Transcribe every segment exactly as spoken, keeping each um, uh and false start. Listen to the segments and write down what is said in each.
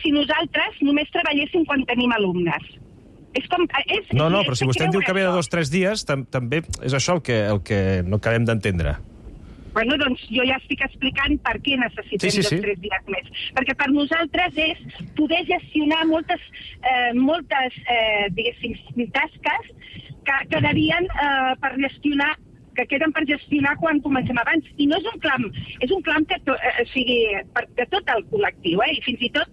si nosaltres només treballéssim quan tenim alumnes. És com, és, No, no, és però si vostè em diu que ve de això. dos o tres dies, tam també és això el que, el que no acabem d'entendre. Bueno, doncs jo ja estic explicant per què necessitem Sí, sí, sí. dos o tres dies més. Perquè per nosaltres és poder gestionar moltes, eh, moltes eh, diguéssim, tasques que quedarien eh, per gestionar que queden per gestionar quan comencem abans. I no és un clam, és un clam que to, eh, sigui per, de tot el col·lectiu, eh? I fins i tot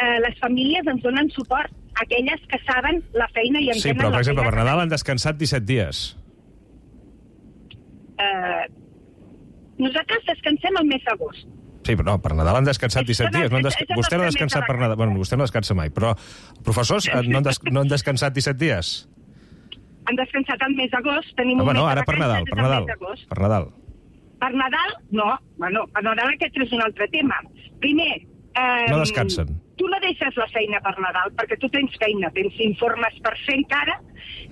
eh, les famílies ens donen suport, aquelles que saben la feina i entenen Sí, però, per la exemple, feina. per Nadal han descansat disset dies. Eh, nosaltres descansem el mes d'agost. Sí, però no, per Nadal han descansat disset És- dies. No han és- des... és el Vostè no ha nostre descansat mes de per Nadal. vacances. Bueno, vostè no descansa mai, però professors eh, no han, des... no han descansat disset dies? Han descansat el mes d'agost, tenim Home, un mes no, de ara per vacances, Nadal, és per el Nadal. mes d'agost. Per Nadal. Per Nadal, no. Bueno, per Nadal aquest és un altre tema. Primer... Eh, No descansen. Tu no deixes la feina per Nadal, perquè tu tens feina, tens informes per fer encara,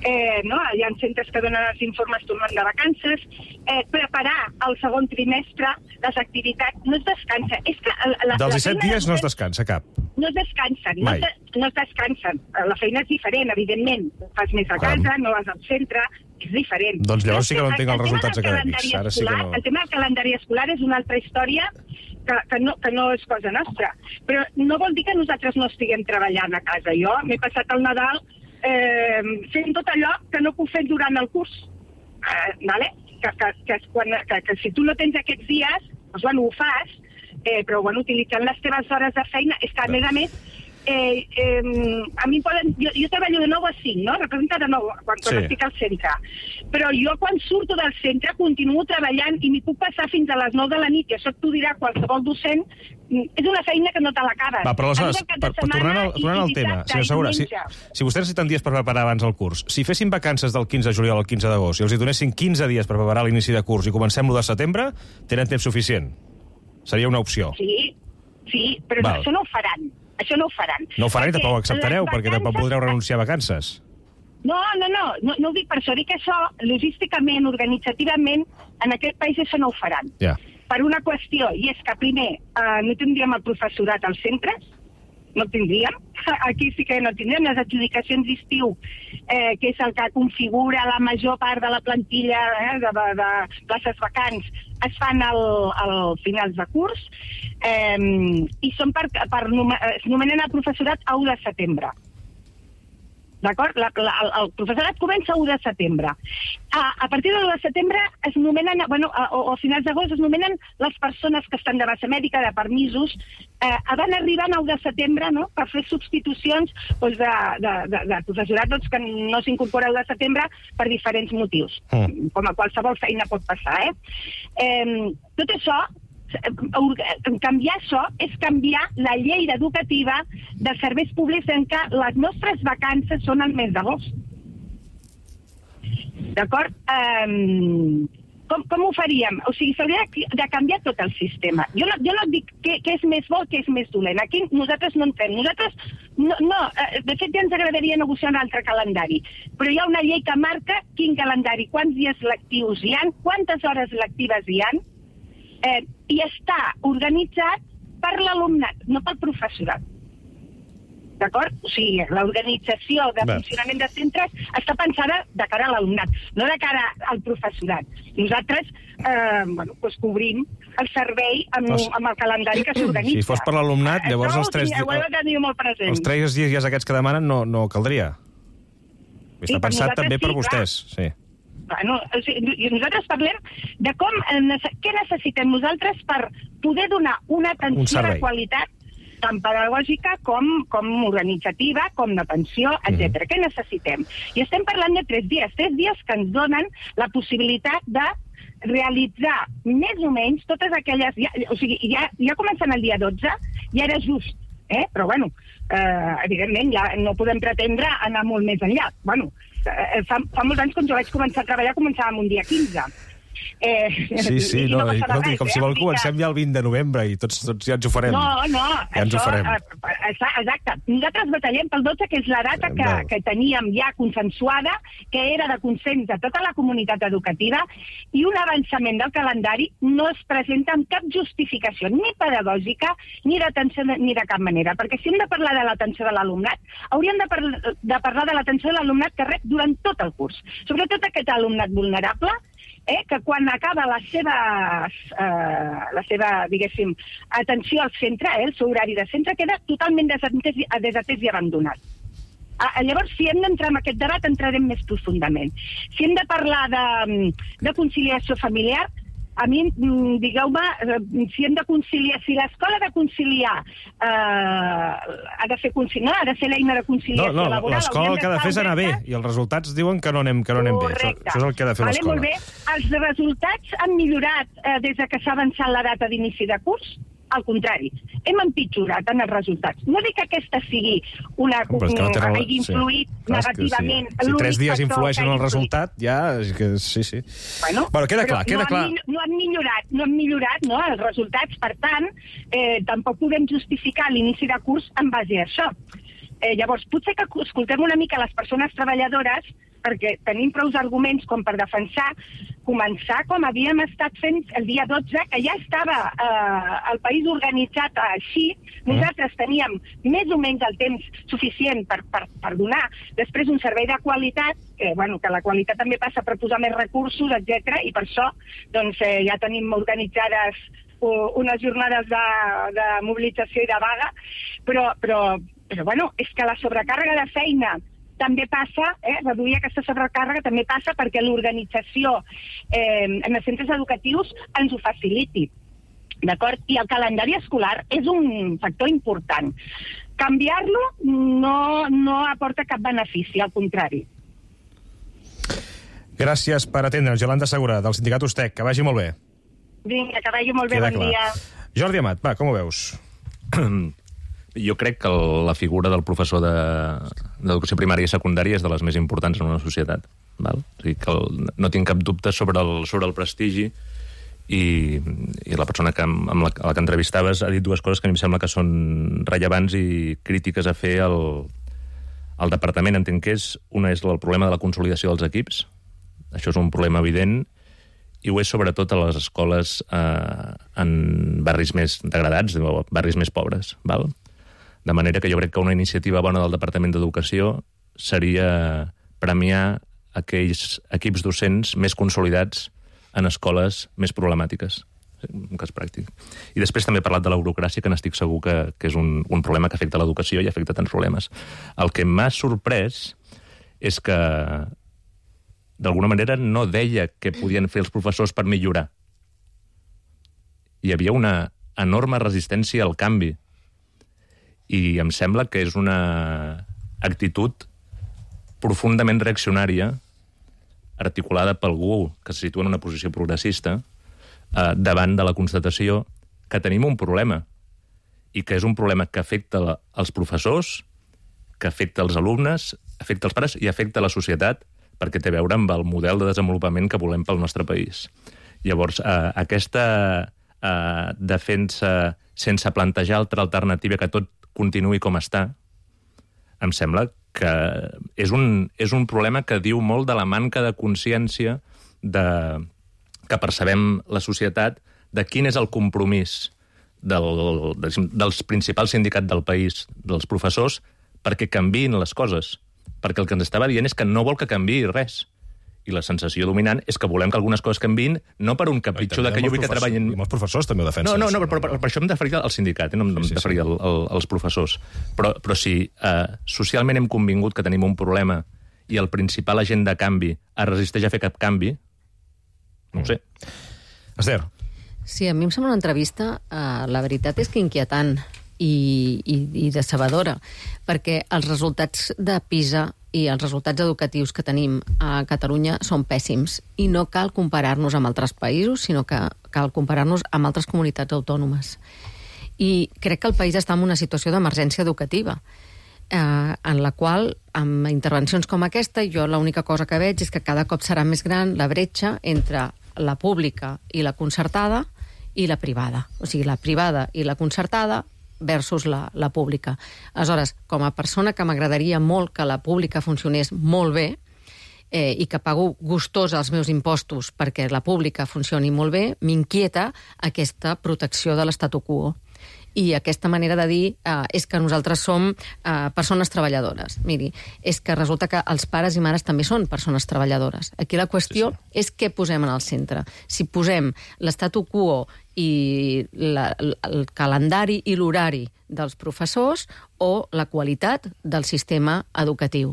eh, no? Hi ha centres que donen els informes tornant de vacances, eh, preparar el segon trimestre, les activitats, no es descansa. És que la, la, Dels la disset feina dies no es descansa cap. No es descansen, no Mai. es, no es descansen. La feina és diferent, evidentment. Fas més a Caram. casa, no vas al centre, és diferent. Doncs llavors sí que no El- entenc els el tema resultats del acadèmics. calendari Ara sí que escolar- no. El tema del calendari escolar és una altra història que, que, no, que no és cosa nostra. Però no vol dir que nosaltres no estiguem treballant a casa. Jo m'he passat el Nadal eh, fent tot allò que no puc fer durant el curs. Eh, vale? que, que, que, quan, que, que si tu no tens aquests dies, doncs, bueno, ho fas, eh, però bueno, utilitzant les teves hores de feina, és que a més a més, eh, eh, a mi poden, jo, jo treballo de nou a cinc, no? Representa de nou quan, quan Sí. estic al centre. Però jo quan surto del centre continuo treballant i m'hi puc passar fins a les nou de la nit, i això t'ho dirà qualsevol docent, és una feina que no te l'acabes. Va, però aleshores, Arriba el cap de per, per tornant, al, setmana i- tornant al i tema, dissabte senyor i Segura, si, diumenge. si vostès necessiten dies per preparar abans el curs, si fessin vacances del quinze de juliol al quinze d'agost i els hi donessin quinze dies per preparar l'inici de curs i comencem l'u de setembre, tenen temps suficient. Seria una opció. Sí, sí, però Val. això no ho faran. Això no ho faran. No ho faran i Perquè tampoc ho acceptareu, les perquè tampoc vacances- podreu renunciar a vacances. No, no, no, no, no ho dic per això. Dic que això, logísticament, organitzativament, en aquest país això no ho faran. Ja. Per una qüestió, i és que primer eh, no tindríem el professorat als centres, no tindríem. Aquí sí que no tindríem les adjudicacions d'estiu, eh, que és el que configura la major part de la plantilla eh, de, de, de places vacants, es fan al, al finals de curs, eh, i són per, per, es nomenen el professorat a u de setembre. D'acord? La, la, el, el professorat comença a u de setembre. A, a partir de l'u de setembre es nomenen, bueno, a, o, o a finals d'agost es nomenen les persones que estan de baixa mèdica, de permisos, eh, van arribant a u de setembre, no?, per fer substitucions doncs, de, de, de, de professorat doncs, que no s'incorpora a u de setembre per diferents motius, Mm. com a qualsevol feina pot passar, eh? eh tot això, canviar això és canviar la llei educativa dels serveis públics en què les nostres vacances són al mes d'agost. D'acord? Um, com, com ho faríem? O sigui, s'hauria de, de canviar tot el sistema. Jo no, jo no dic què, què és més bo, què és més dolent. Aquí nosaltres no entrem. Nosaltres, no, no, de fet ja ens agradaria negociar un altre calendari. Però hi ha una llei que marca quin calendari, quants dies lectius hi ha, quantes hores lectives hi ha, Eh, i està organitzat per l'alumnat, no pel professorat. D'acord? O sigui, l'organització de Bé. funcionament de centres està pensada de cara a l'alumnat, no de cara al professorat. Nosaltres, eh, bueno, doncs cobrim el servei amb, Pues, amb el calendari que s'organitza. si fos per l'alumnat, llavors Això els tres ho heu de tenir molt present. Els tres dies aquests que demanen no, no caldria. Sí, Està per pensat nosaltres també per sí, vostès. Sí. Bueno, o sigui, nosaltres parlem de com, què necessitem nosaltres per poder donar una Un atenció servei. de qualitat tant pedagògica com, com organitzativa, com d'atenció, etcètera. Què necessitem? I estem parlant de tres dies, tres dies que ens donen la possibilitat de realitzar més o menys totes aquelles... Ja, o sigui, ja, ja comencen el dia dotze, ja era just, eh? Però bueno, eh, evidentment ja no podem pretendre anar molt més enllà. Bueno, eh, fa, fa molts anys quan jo vaig començar a treballar començàvem un dia quinze. Eh, Sí, sí, i, i no, no i, passava escolti, res, com eh? si vol Vull dir comencem que- ja el vint de novembre i tots, tots ja ens ho farem. No, no, Ja ens ho això, farem. eh, Exacte. Nosaltres batallem pel dotze, que és la data que, que teníem ja consensuada, que era de consens de tota la comunitat educativa, i un avançament del calendari no es presenta amb cap justificació, ni pedagògica, ni d'atenció ni de cap manera. Perquè si hem de parlar de l'atenció de l'alumnat, hauríem de, par de parlar de l'atenció de l'alumnat que rep durant tot el curs. Sobretot aquest alumnat vulnerable, Eh, que quan acaba la seva, eh, la seva, diguéssim, atenció al centre, eh, el seu horari de centre, queda totalment desatès, desatès i abandonat. Ah, llavors, si hem d'entrar en aquest debat, entrarem més profundament. Si hem de parlar de, de conciliació familiar, a mi, digueu-me, si hem de conciliar, si l'escola ha de conciliar, eh, ha de fer conciliar, ha de ser l'eina de conciliació no, no, laboral... l'escola el que ha de fer és anar bé, i els resultats diuen que no anem, que no anem bé. Això, això és el que ha de fer vale, l'escola. Molt bé. Els resultats han millorat eh, des que s'ha avançat la data d'inici de curs? Al contrari, hem empitjorat en els resultats. No dic que aquesta sigui una... Com, que no tenen... hagi influït sí. negativament. Sí. Si tres dies influeixen en el resultat, ja... Que, sí, sí. Bueno, bueno queda clar, queda no clar. Han, no han millorat, no han millorat no, els resultats. Per tant, eh, tampoc podem justificar l'inici de curs en base a això. Eh, llavors, potser que escoltem una mica les persones treballadores, perquè tenim prou arguments com per defensar començar com havíem estat fent el dia dotze, que ja estava eh, el país organitzat així. Nosaltres teníem més o menys el temps suficient per, per, per donar després un servei de qualitat, que, bueno, que la qualitat també passa per posar més recursos, etcètera, i per això doncs, eh, ja tenim organitzades uh, unes jornades de, de mobilització i de vaga, però, però, però bueno, és que la sobrecàrrega de feina també passa, eh, reduir aquesta sobrecàrrega també passa perquè l'organització eh, en els centres educatius ens ho faciliti. D'acord? I el calendari escolar és un factor important. Canviar-lo no, no aporta cap benefici, al contrari. Gràcies per atendre'ns, Yolanda Segura, del sindicat Ustec. Que vagi molt bé. Vinga, que vagi molt bé, Queda bon clar. dia. Jordi Amat, va, com ho veus? Jo crec que la figura del professor d'educació primària i secundària és de les més importants en una societat. Val? O sigui que el, no tinc cap dubte sobre el, sobre el prestigi i, i la persona que, amb la, la que entrevistaves ha dit dues coses que a mi em sembla que són rellevants i crítiques a fer al, al departament. Entenc que és, una és el problema de la consolidació dels equips. Això és un problema evident i ho és sobretot a les escoles eh, en barris més degradats, barris més pobres. Val? De manera que jo crec que una iniciativa bona del Departament d'Educació seria premiar aquells equips docents més consolidats en escoles més problemàtiques, un cas pràctic. I després també he parlat de la burocràcia, que n'estic segur que, que és un, un problema que afecta l'educació i afecta tants problemes. El que m'ha sorprès és que d'alguna manera no deia què podien fer els professors per millorar. Hi havia una enorme resistència al canvi. I em sembla que és una actitud profundament reaccionària, articulada per algú que se situa en una posició progressista, eh, davant de la constatació que tenim un problema, i que és un problema que afecta la, els professors, que afecta els alumnes, afecta els pares i afecta la societat, perquè té a veure amb el model de desenvolupament que volem pel nostre país. Llavors, eh, aquesta eh, defensa sense plantejar altra alternativa que tot continuï com està, em sembla que és un, és un problema que diu molt de la manca de consciència de, que percebem la societat de quin és el compromís del, dels principals sindicats del país, dels professors, perquè canviïn les coses. Perquè el que ens estava dient és que no vol que canviï res. I la sensació dominant és que volem que algunes coses canviïn, no per un capritxo de que jo vull que treballin... I molts professors també ho defensen. No, no, no, però, però per això em referia al sindicat, eh? No em sí, sí, referia sí. al, al, als professors. Però, però si eh, socialment hem convingut que tenim un problema i el principal agent de canvi es resisteix a fer cap canvi, no ho sé. Esther. Sí, a mi em sembla una entrevista, eh, la veritat és que inquietant i, i, i decebedora, perquè els resultats de PISA i els resultats educatius que tenim a Catalunya són pèssims i no cal comparar-nos amb altres països, sinó que cal comparar-nos amb altres comunitats autònomes. I crec que el país està en una situació d'emergència educativa, eh, en la qual, amb intervencions com aquesta, jo l'única cosa que veig és que cada cop serà més gran la bretxa entre la pública i la concertada i la privada. O sigui, la privada i la concertada versus la, la pública. Aleshores, com a persona que m'agradaria molt que la pública funcionés molt bé, eh, i que pago gustós els meus impostos perquè la pública funcioni molt bé, m'inquieta aquesta protecció de l'statu quo. I aquesta manera de dir eh, és que nosaltres som eh, persones treballadores. Miri, és que resulta que els pares i mares també són persones treballadores. Aquí la qüestió sí, sí. és què posem en el centre. Si posem l'statu quo i la, el calendari i l'horari dels professors o la qualitat del sistema educatiu.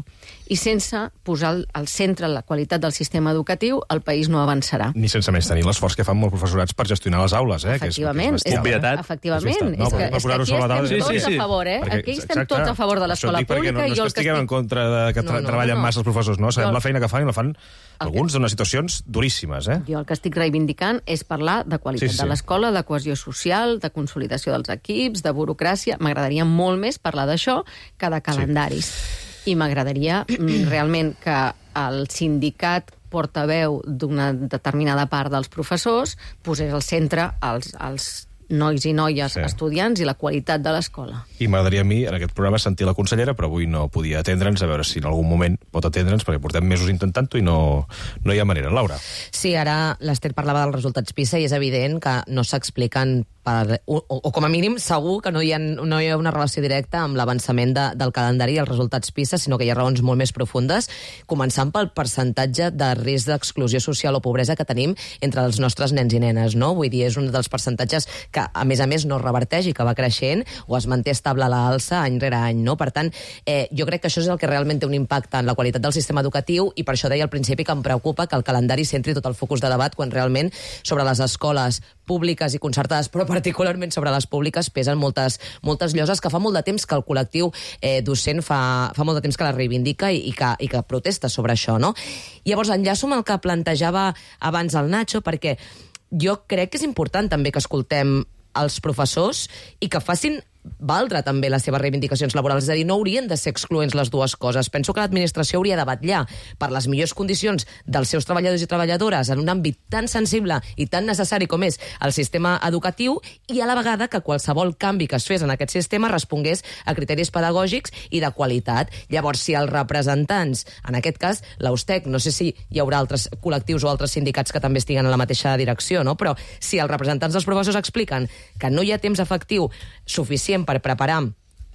I sense posar al centre la qualitat del sistema educatiu, el país no avançarà. Ni sense més tenir l'esforç que fan molts professorats per gestionar les aules, eh? Efectivament. Que és, que és Obvietat. Efectivament. No, és que, per és que aquí sobre la taula, estem sí, tots sí, sí. a favor, eh? Perquè, aquí estem exacte, tots a favor de l'escola pública. No, no és que estiguem en contra de que tra no, no, treballen no, no. massa els professors, no? Sabem jo... la feina que fan i la fan el alguns que... d'unes situacions duríssimes, eh? Jo el que estic reivindicant és parlar de qualitat sí, sí. de l'escola, de cohesió social, de consolidació dels equips, de burocràcia. M'agradaria molt més parlar d'això que de calendaris. Sí. I m'agradaria realment que el sindicat portaveu d'una determinada part dels professors posés al centre els, els nois i noies sí. estudiants i la qualitat de l'escola. I m'agradaria a mi, en aquest programa, sentir la consellera, però avui no podia atendre'ns, a veure si en algun moment pot atendre'ns, perquè portem mesos intentant-ho i no, no hi ha manera. Laura. Sí, ara l'Ester parlava dels resultats PISA i és evident que no s'expliquen per, o, o com a mínim segur que no hi ha, no hi ha una relació directa amb l'avançament de, del calendari i els resultats PISA, sinó que hi ha raons molt més profundes, començant pel percentatge de risc d'exclusió social o pobresa que tenim entre els nostres nens i nenes, no? Vull dir, és un dels percentatges que que, a més a més, no reverteix i que va creixent o es manté estable a l'alça any rere any, no? Per tant, eh, jo crec que això és el que realment té un impacte en la qualitat del sistema educatiu i per això deia al principi que em preocupa que el calendari centri tot el focus de debat quan realment sobre les escoles públiques i concertades, però particularment sobre les públiques, pesen moltes, moltes lloses que fa molt de temps que el col·lectiu eh, docent fa, fa molt de temps que la reivindica i, i, que, i que protesta sobre això, no? Llavors, enllaço amb el que plantejava abans el Nacho, perquè jo crec que és important també que escoltem els professors i que facin valdre també les seves reivindicacions laborals. És a dir, no haurien de ser excloents les dues coses. Penso que l'administració hauria de vetllar per les millors condicions dels seus treballadors i treballadores en un àmbit tan sensible i tan necessari com és el sistema educatiu i a la vegada que qualsevol canvi que es fes en aquest sistema respongués a criteris pedagògics i de qualitat. Llavors, si els representants, en aquest cas l'Austec, no sé si hi haurà altres col·lectius o altres sindicats que també estiguen en la mateixa direcció, no? Però si els representants dels professors expliquen que no hi ha temps efectiu suficient per preparar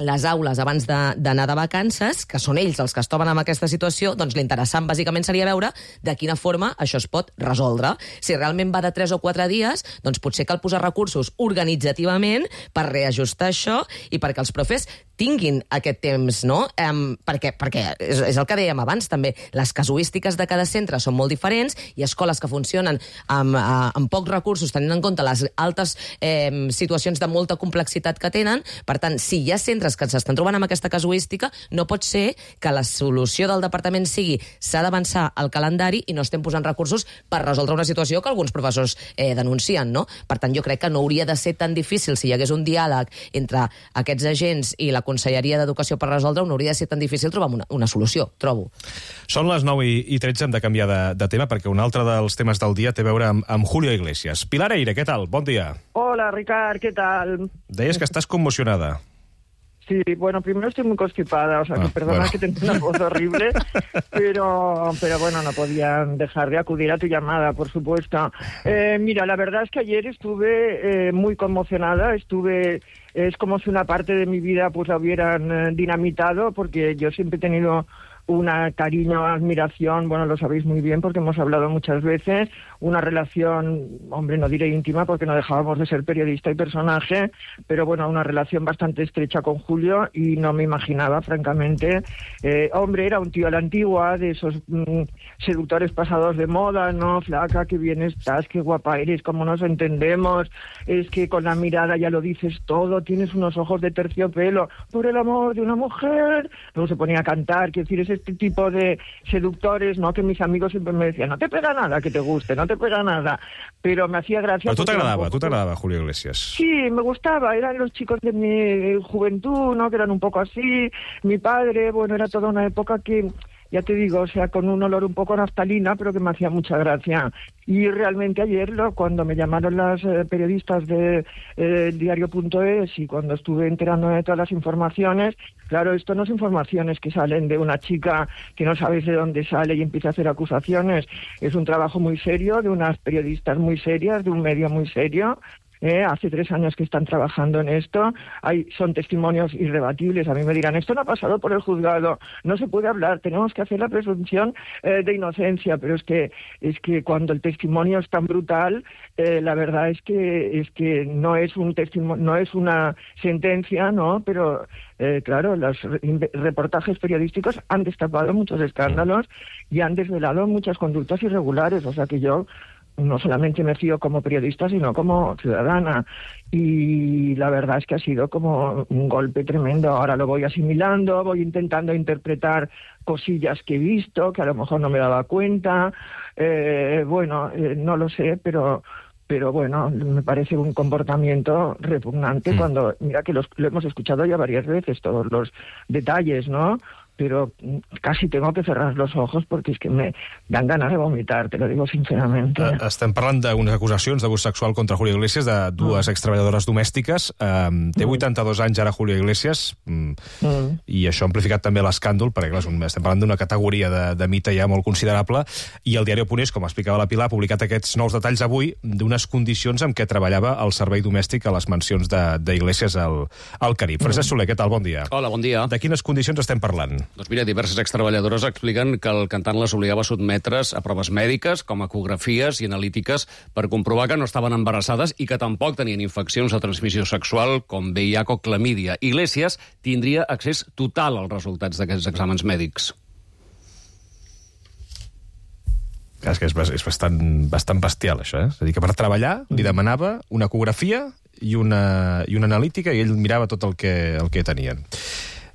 les aules abans d'anar de, de vacances, que són ells els que es troben en aquesta situació, doncs l'interessant bàsicament seria veure de quina forma això es pot resoldre. Si realment va de tres o quatre dies, doncs potser cal posar recursos organitzativament per reajustar això i perquè els profes tinguin aquest temps, no? Um, perquè perquè és, és el que dèiem abans, també. Les casuístiques de cada centre són molt diferents i escoles que funcionen amb, uh, amb pocs recursos, tenint en compte les altes eh, situacions de molta complexitat que tenen. Per tant, si hi ha centres que s'estan trobant amb aquesta casuística, no pot ser que la solució del departament sigui s'ha d'avançar el calendari i no estem posant recursos per resoldre una situació que alguns professors eh, denuncien, no? Per tant, jo crec que no hauria de ser tan difícil si hi hagués un diàleg entre aquests agents i la Conselleria d'Educació per resoldre, no hauria de ser tan difícil trobar una, una solució, trobo. Són les nou i tretze, hem de canviar de, de tema, perquè un altre dels temes del dia té a veure amb, amb Julio Iglesias. Pilar Eire, què tal? Bon dia. Hola, Ricard, ¿qué tal? Deies que estàs conmocionada. Sí, bueno, primero estoy muy constipada, o sea, que ah, perdona bueno. que tengo una voz horrible, pero, pero bueno, no podía dejar de acudir a tu llamada, por supuesto. Eh, mira, la verdad es que ayer estuve eh, muy conmocionada, estuve, es como si una parte de mi vida pues la hubieran eh, dinamitado, porque yo siempre he tenido una cariño, admiración, bueno, lo sabéis muy bien porque hemos hablado muchas veces, una relación, hombre, no diré íntima porque no dejábamos de ser periodista y personaje, pero bueno, una relación bastante estrecha con Julio y no me imaginaba, francamente. Eh, hombre, era un tío a la antigua, de esos mm, seductores pasados de moda, ¿no? Flaca, qué bien estás, qué guapa eres, cómo nos entendemos, es que con la mirada ya lo dices todo, tienes unos ojos de terciopelo, por el amor de una mujer. Luego se ponía a cantar, quiero decir, es este tipo de seductores, ¿no? Que mis amigos siempre me decían, no te pega nada que te guste, no te pega nada, pero me hacía gracia. Pero tú te agradaba, tú te agradaba Julio Iglesias. Sí, me gustaba, eran los chicos de mi juventud, ¿no? Que eran un poco así, mi padre, bueno, era toda una época que ya te digo, o sea, con un olor un poco a naftalina, pero que me hacía mucha gracia. Y realmente ayer, lo, cuando me llamaron las eh, periodistas de eh, diario punto es y cuando estuve enterándome de todas las informaciones, claro, esto no son informaciones que salen de una chica que no sabes de dónde sale y empieza a hacer acusaciones. Es un trabajo muy serio, de unas periodistas muy serias, de un medio muy serio. Eh, hace tres años que están trabajando en esto, hay, son testimonios irrebatibles. A mí me dirán, esto no ha pasado por el juzgado, no se puede hablar, tenemos que hacer la presunción eh, de inocencia, pero es que es que cuando el testimonio es tan brutal, eh, la verdad es que es que no es un testimonio, no es una sentencia, no, pero eh, claro, los reportajes periodísticos han destapado muchos escándalos y han desvelado muchas conductas irregulares, o sea que yo no solamente me fío como periodista, sino como ciudadana. Y la verdad es que ha sido como un golpe tremendo. Ahora lo voy asimilando, voy intentando interpretar cosillas que he visto, que a lo mejor no me daba cuenta. Eh, bueno, eh, no lo sé, pero... Pero bueno, me parece un comportamiento repugnante mm. cuando, mira que los, lo hemos escuchado ya varias veces, todos los detalles, ¿no? Pero casi tengo que cerrar los ojos perquè és que me dan ganas de vomitar, te lo digo sinceramente. Uh, estem parlant d'unes acusacions d'abús sexual contra Julio Iglesias, de dues mm. extreballadores domèstiques. Um, té vuitanta-dos anys ara Julio Iglesias, um, mm. i això ha amplificat també l'escàndol, perquè clar, estem parlant d'una categoria de, de mite ja molt considerable, i el diari Punés, com explicava la Pilar, ha publicat aquests nous detalls avui d'unes condicions amb què treballava el servei domèstic a les mansions d'Iglesias al, al Carib. Mm. Francesc Soler, què tal? Bon dia. Hola, bon dia. De quines condicions estem parlant? Doncs mira, diverses extreballadores expliquen que el cantant les obligava a sotmetre's a proves mèdiques, com ecografies i analítiques, per comprovar que no estaven embarassades i que tampoc tenien infeccions de transmissió sexual, com V I H o clamídia. Iglesias tindria accés total als resultats d'aquests exàmens mèdics. És que és, és bastant, bastant bestial, això, eh? És a dir, que per treballar li demanava una ecografia i una, i una analítica i ell mirava tot el que, el que tenien.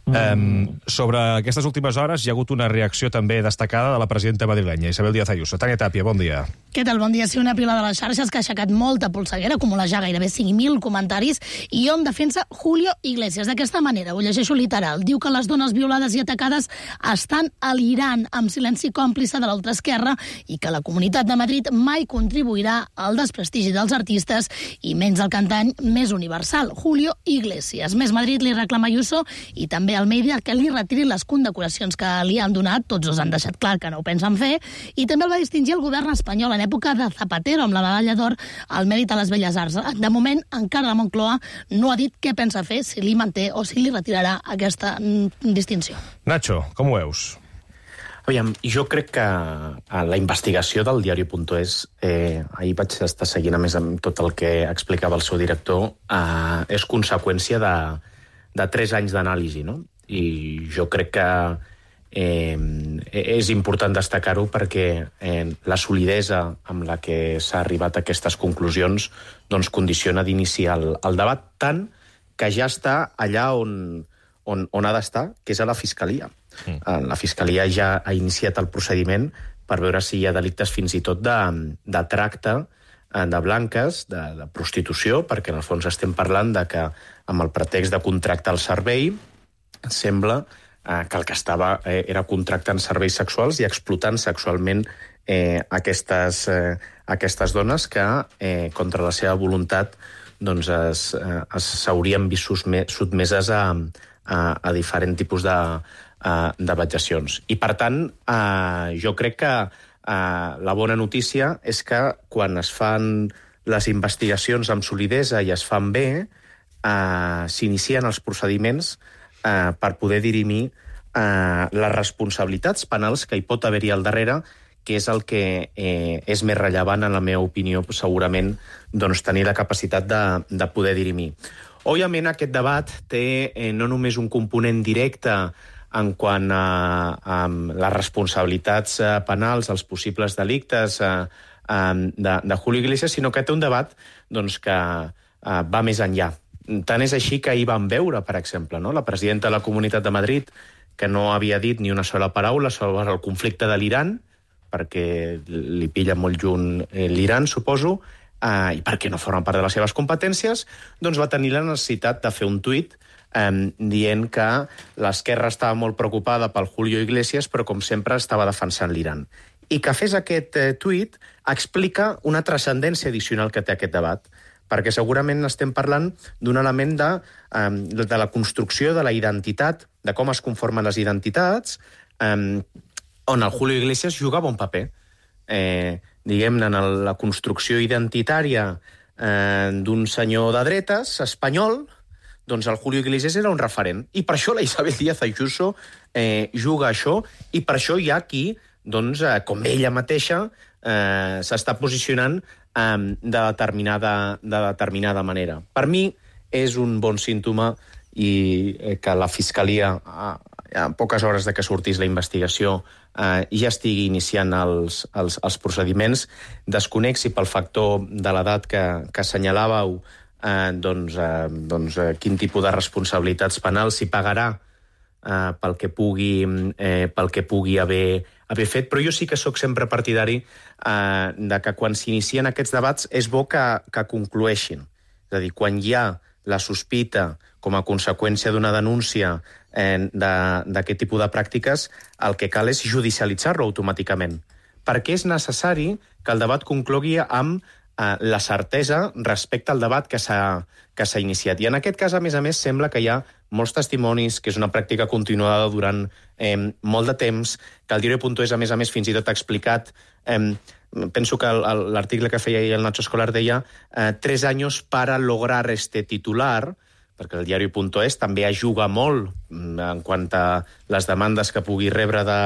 Um, sobre aquestes últimes hores hi ha hagut una reacció també destacada de la presidenta madrilenya, Isabel Díaz Ayuso. Tània Tàpia, bon dia. Què tal? Bon dia. Sí, una pila de les xarxes que ha aixecat molta polseguera, acumula ja gairebé cinc mil comentaris, i on defensa Julio Iglesias. D'aquesta manera, ho llegeixo literal, diu que les dones violades i atacades estan a l'Iran amb silenci còmplice de l'altra esquerra i que la Comunitat de Madrid mai contribuirà al desprestigi dels artistes i menys el cantant més universal, Julio Iglesias. Més Madrid li reclama Ayuso i també Almeida que li retiri les condecoracions que li han donat, tots dos han deixat clar que no ho pensen fer, i també el va distingir el govern espanyol en època de Zapatero amb la medalla d'or al mèrit a les Belles Arts. De moment, encara la Moncloa no ha dit què pensa fer, si li manté o si li retirarà aquesta distinció. Nacho, com ho veus? Aviam, jo crec que la investigació del diari punto es, eh, ahir vaig estar seguint a més amb tot el que explicava el seu director, eh, és conseqüència de de tres anys d'anàlisi, no? I jo crec que eh, és important destacar-ho perquè eh, la solidesa amb la que s'ha arribat a aquestes conclusions doncs condiciona d'iniciar el, el debat, tant que ja està allà on, on, on ha d'estar, que és a la Fiscalia. Mm. La Fiscalia ja ha iniciat el procediment per veure si hi ha delictes fins i tot de, de tracte de blanques, de, de prostitució, perquè en el fons estem parlant de que amb el pretext de contractar el servei sembla eh, que el que estava eh, era contractant serveis sexuals i explotant sexualment eh, aquestes, eh, aquestes dones que, eh, contra la seva voluntat, doncs s'haurien vist sotmeses a, a, a diferents tipus de, de vejacions. I, per tant, eh, jo crec que Uh, la bona notícia és que quan es fan les investigacions amb solidesa i es fan bé, uh, s'inicien els procediments uh, per poder dirimir uh, les responsabilitats penals que hi pot haver-hi al darrere, que és el que eh, és més rellevant, en la meva opinió, segurament, doncs, tenir la capacitat de, de poder dirimir. Òbviament, aquest debat té eh, no només un component directe en quant a, a les responsabilitats penals, els possibles delictes a, a, de, de Julio Iglesias, sinó que té un debat doncs, que a, va més enllà. Tant és així que ahir vam veure, per exemple, no? La presidenta de la Comunitat de Madrid, que no havia dit ni una sola paraula sobre el conflicte de l'Iran, perquè li pilla molt junt l'Iran, suposo, eh, i perquè no formen part de les seves competències, doncs va tenir la necessitat de fer un tuit eh, dient que l'esquerra estava molt preocupada pel Julio Iglesias, però com sempre estava defensant l'Iran. I que fes aquest eh, tuit explica una transcendència addicional que té aquest debat, perquè segurament estem parlant d'un element de, eh, de la construcció de la identitat, de com es conformen les identitats, eh, on el Julio Iglesias jugava un paper. Eh, diguem-ne, en la construcció identitària eh, d'un senyor de dretes espanyol, doncs el Julio Iglesias era un referent. I per això la Isabel Díaz Ayuso eh, juga això, i per això hi ha qui, doncs, eh, com ella mateixa, eh, s'està posicionant eh, de, determinada, de determinada manera. Per mi és un bon símptoma i eh, que la Fiscalia, a, a poques hores de que sortís la investigació, eh, ja estigui iniciant els, els, els procediments. Desconec si pel factor de l'edat que, que assenyalàveu, eh, doncs, eh, doncs eh, quin tipus de responsabilitats penals s'hi pagarà eh, pel que pugui, eh, pel que pugui haver, haver fet, però jo sí que sóc sempre partidari eh, de que quan s'inicien aquests debats és bo que, que conclueixin. És a dir, quan hi ha la sospita com a conseqüència d'una denúncia eh, d'aquest tipus de pràctiques, el que cal és judicialitzar-lo automàticament, perquè és necessari que el debat conclogui amb eh, la certesa respecte al debat que s'ha que s'ha iniciat. I en aquest cas, a més a més, sembla que hi ha molts testimonis, que és una pràctica continuada durant eh, molt de temps, que el diario.es, a més a més, fins i tot ha explicat, eh, penso que l'article que feia el Nacho Escolar deia eh, tres anys para lograr este titular, perquè el diario.es també ajuda molt en quant a les demandes que pugui rebre de,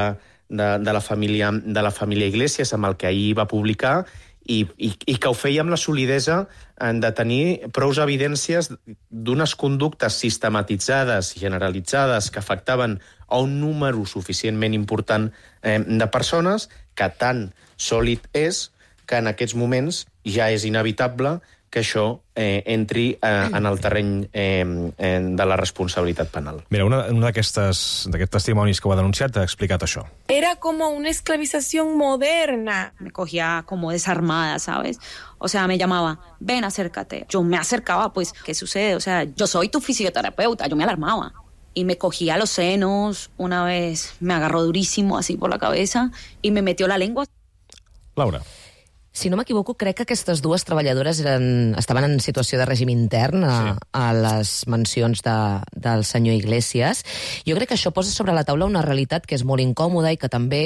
de, de, la família, de la família Iglesias, amb el que ahir va publicar, i, i, i que ho feia amb la solidesa de tenir prous evidències d'unes conductes sistematitzades i generalitzades que afectaven a un número suficientment important eh, de persones, que tan sòlid és que en aquests moments ja és inevitable que això eh, entri eh, en el terreny eh, de la responsabilitat penal. Mira, una, una d'aquests testimonis que ho ha denunciat ha explicat això. Era como una esclavización moderna. Me cogía como desarmada, ¿sabes? O sea, me llamaba, ven, acércate. Yo me acercaba, pues, ¿qué sucede? O sea, yo soy tu fisioterapeuta, yo me alarmaba. Y me cogía los senos, una vez me agarró durísimo así por la cabeza y me metió la lengua. Laura. Si no m'equivoco, crec que aquestes dues treballadores eren, estaven en situació de règim intern a, sí. a les mencions de, del senyor Iglesias. Jo crec que això posa sobre la taula una realitat que és molt incòmoda i que també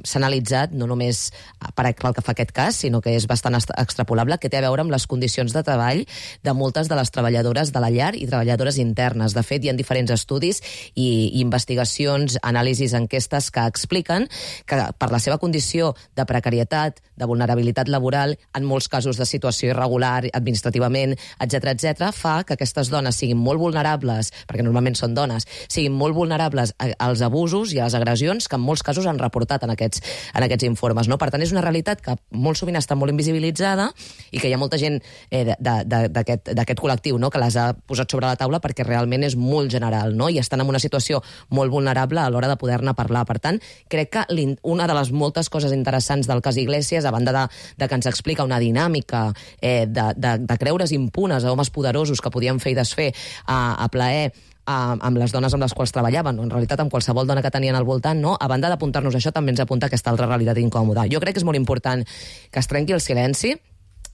s'ha analitzat, no només per el que fa aquest cas, sinó que és bastant extrapolable, que té a veure amb les condicions de treball de moltes de les treballadores de la llar i treballadores internes. De fet, hi ha diferents estudis i, i investigacions, anàlisis, enquestes que expliquen que per la seva condició de precarietat, de vulnerabilitat laboral, en molts casos de situació irregular, administrativament, etcètera, etcètera, fa que aquestes dones siguin molt vulnerables, perquè normalment són dones, siguin molt vulnerables als abusos i a les agressions que en molts casos han reportat en aquests, en aquests informes. No? Per tant, és una realitat que molt sovint està molt invisibilitzada i que hi ha molta gent eh, d'aquest col·lectiu, no? que les ha posat sobre la taula perquè realment és molt general, no? i estan en una situació molt vulnerable a l'hora de poder-ne parlar. Per tant, crec que una de les moltes coses interessants del cas Iglesias, a banda de, de que ens explica una dinàmica eh, de, de, de creure's impunes a homes poderosos que podien fer i desfer a, a plaer amb les dones amb les quals treballaven, o en realitat amb qualsevol dona que tenien al voltant, no? A banda d'apuntar-nos això, també ens apunta aquesta altra realitat incòmoda. Jo crec que és molt important que es trenqui el silenci,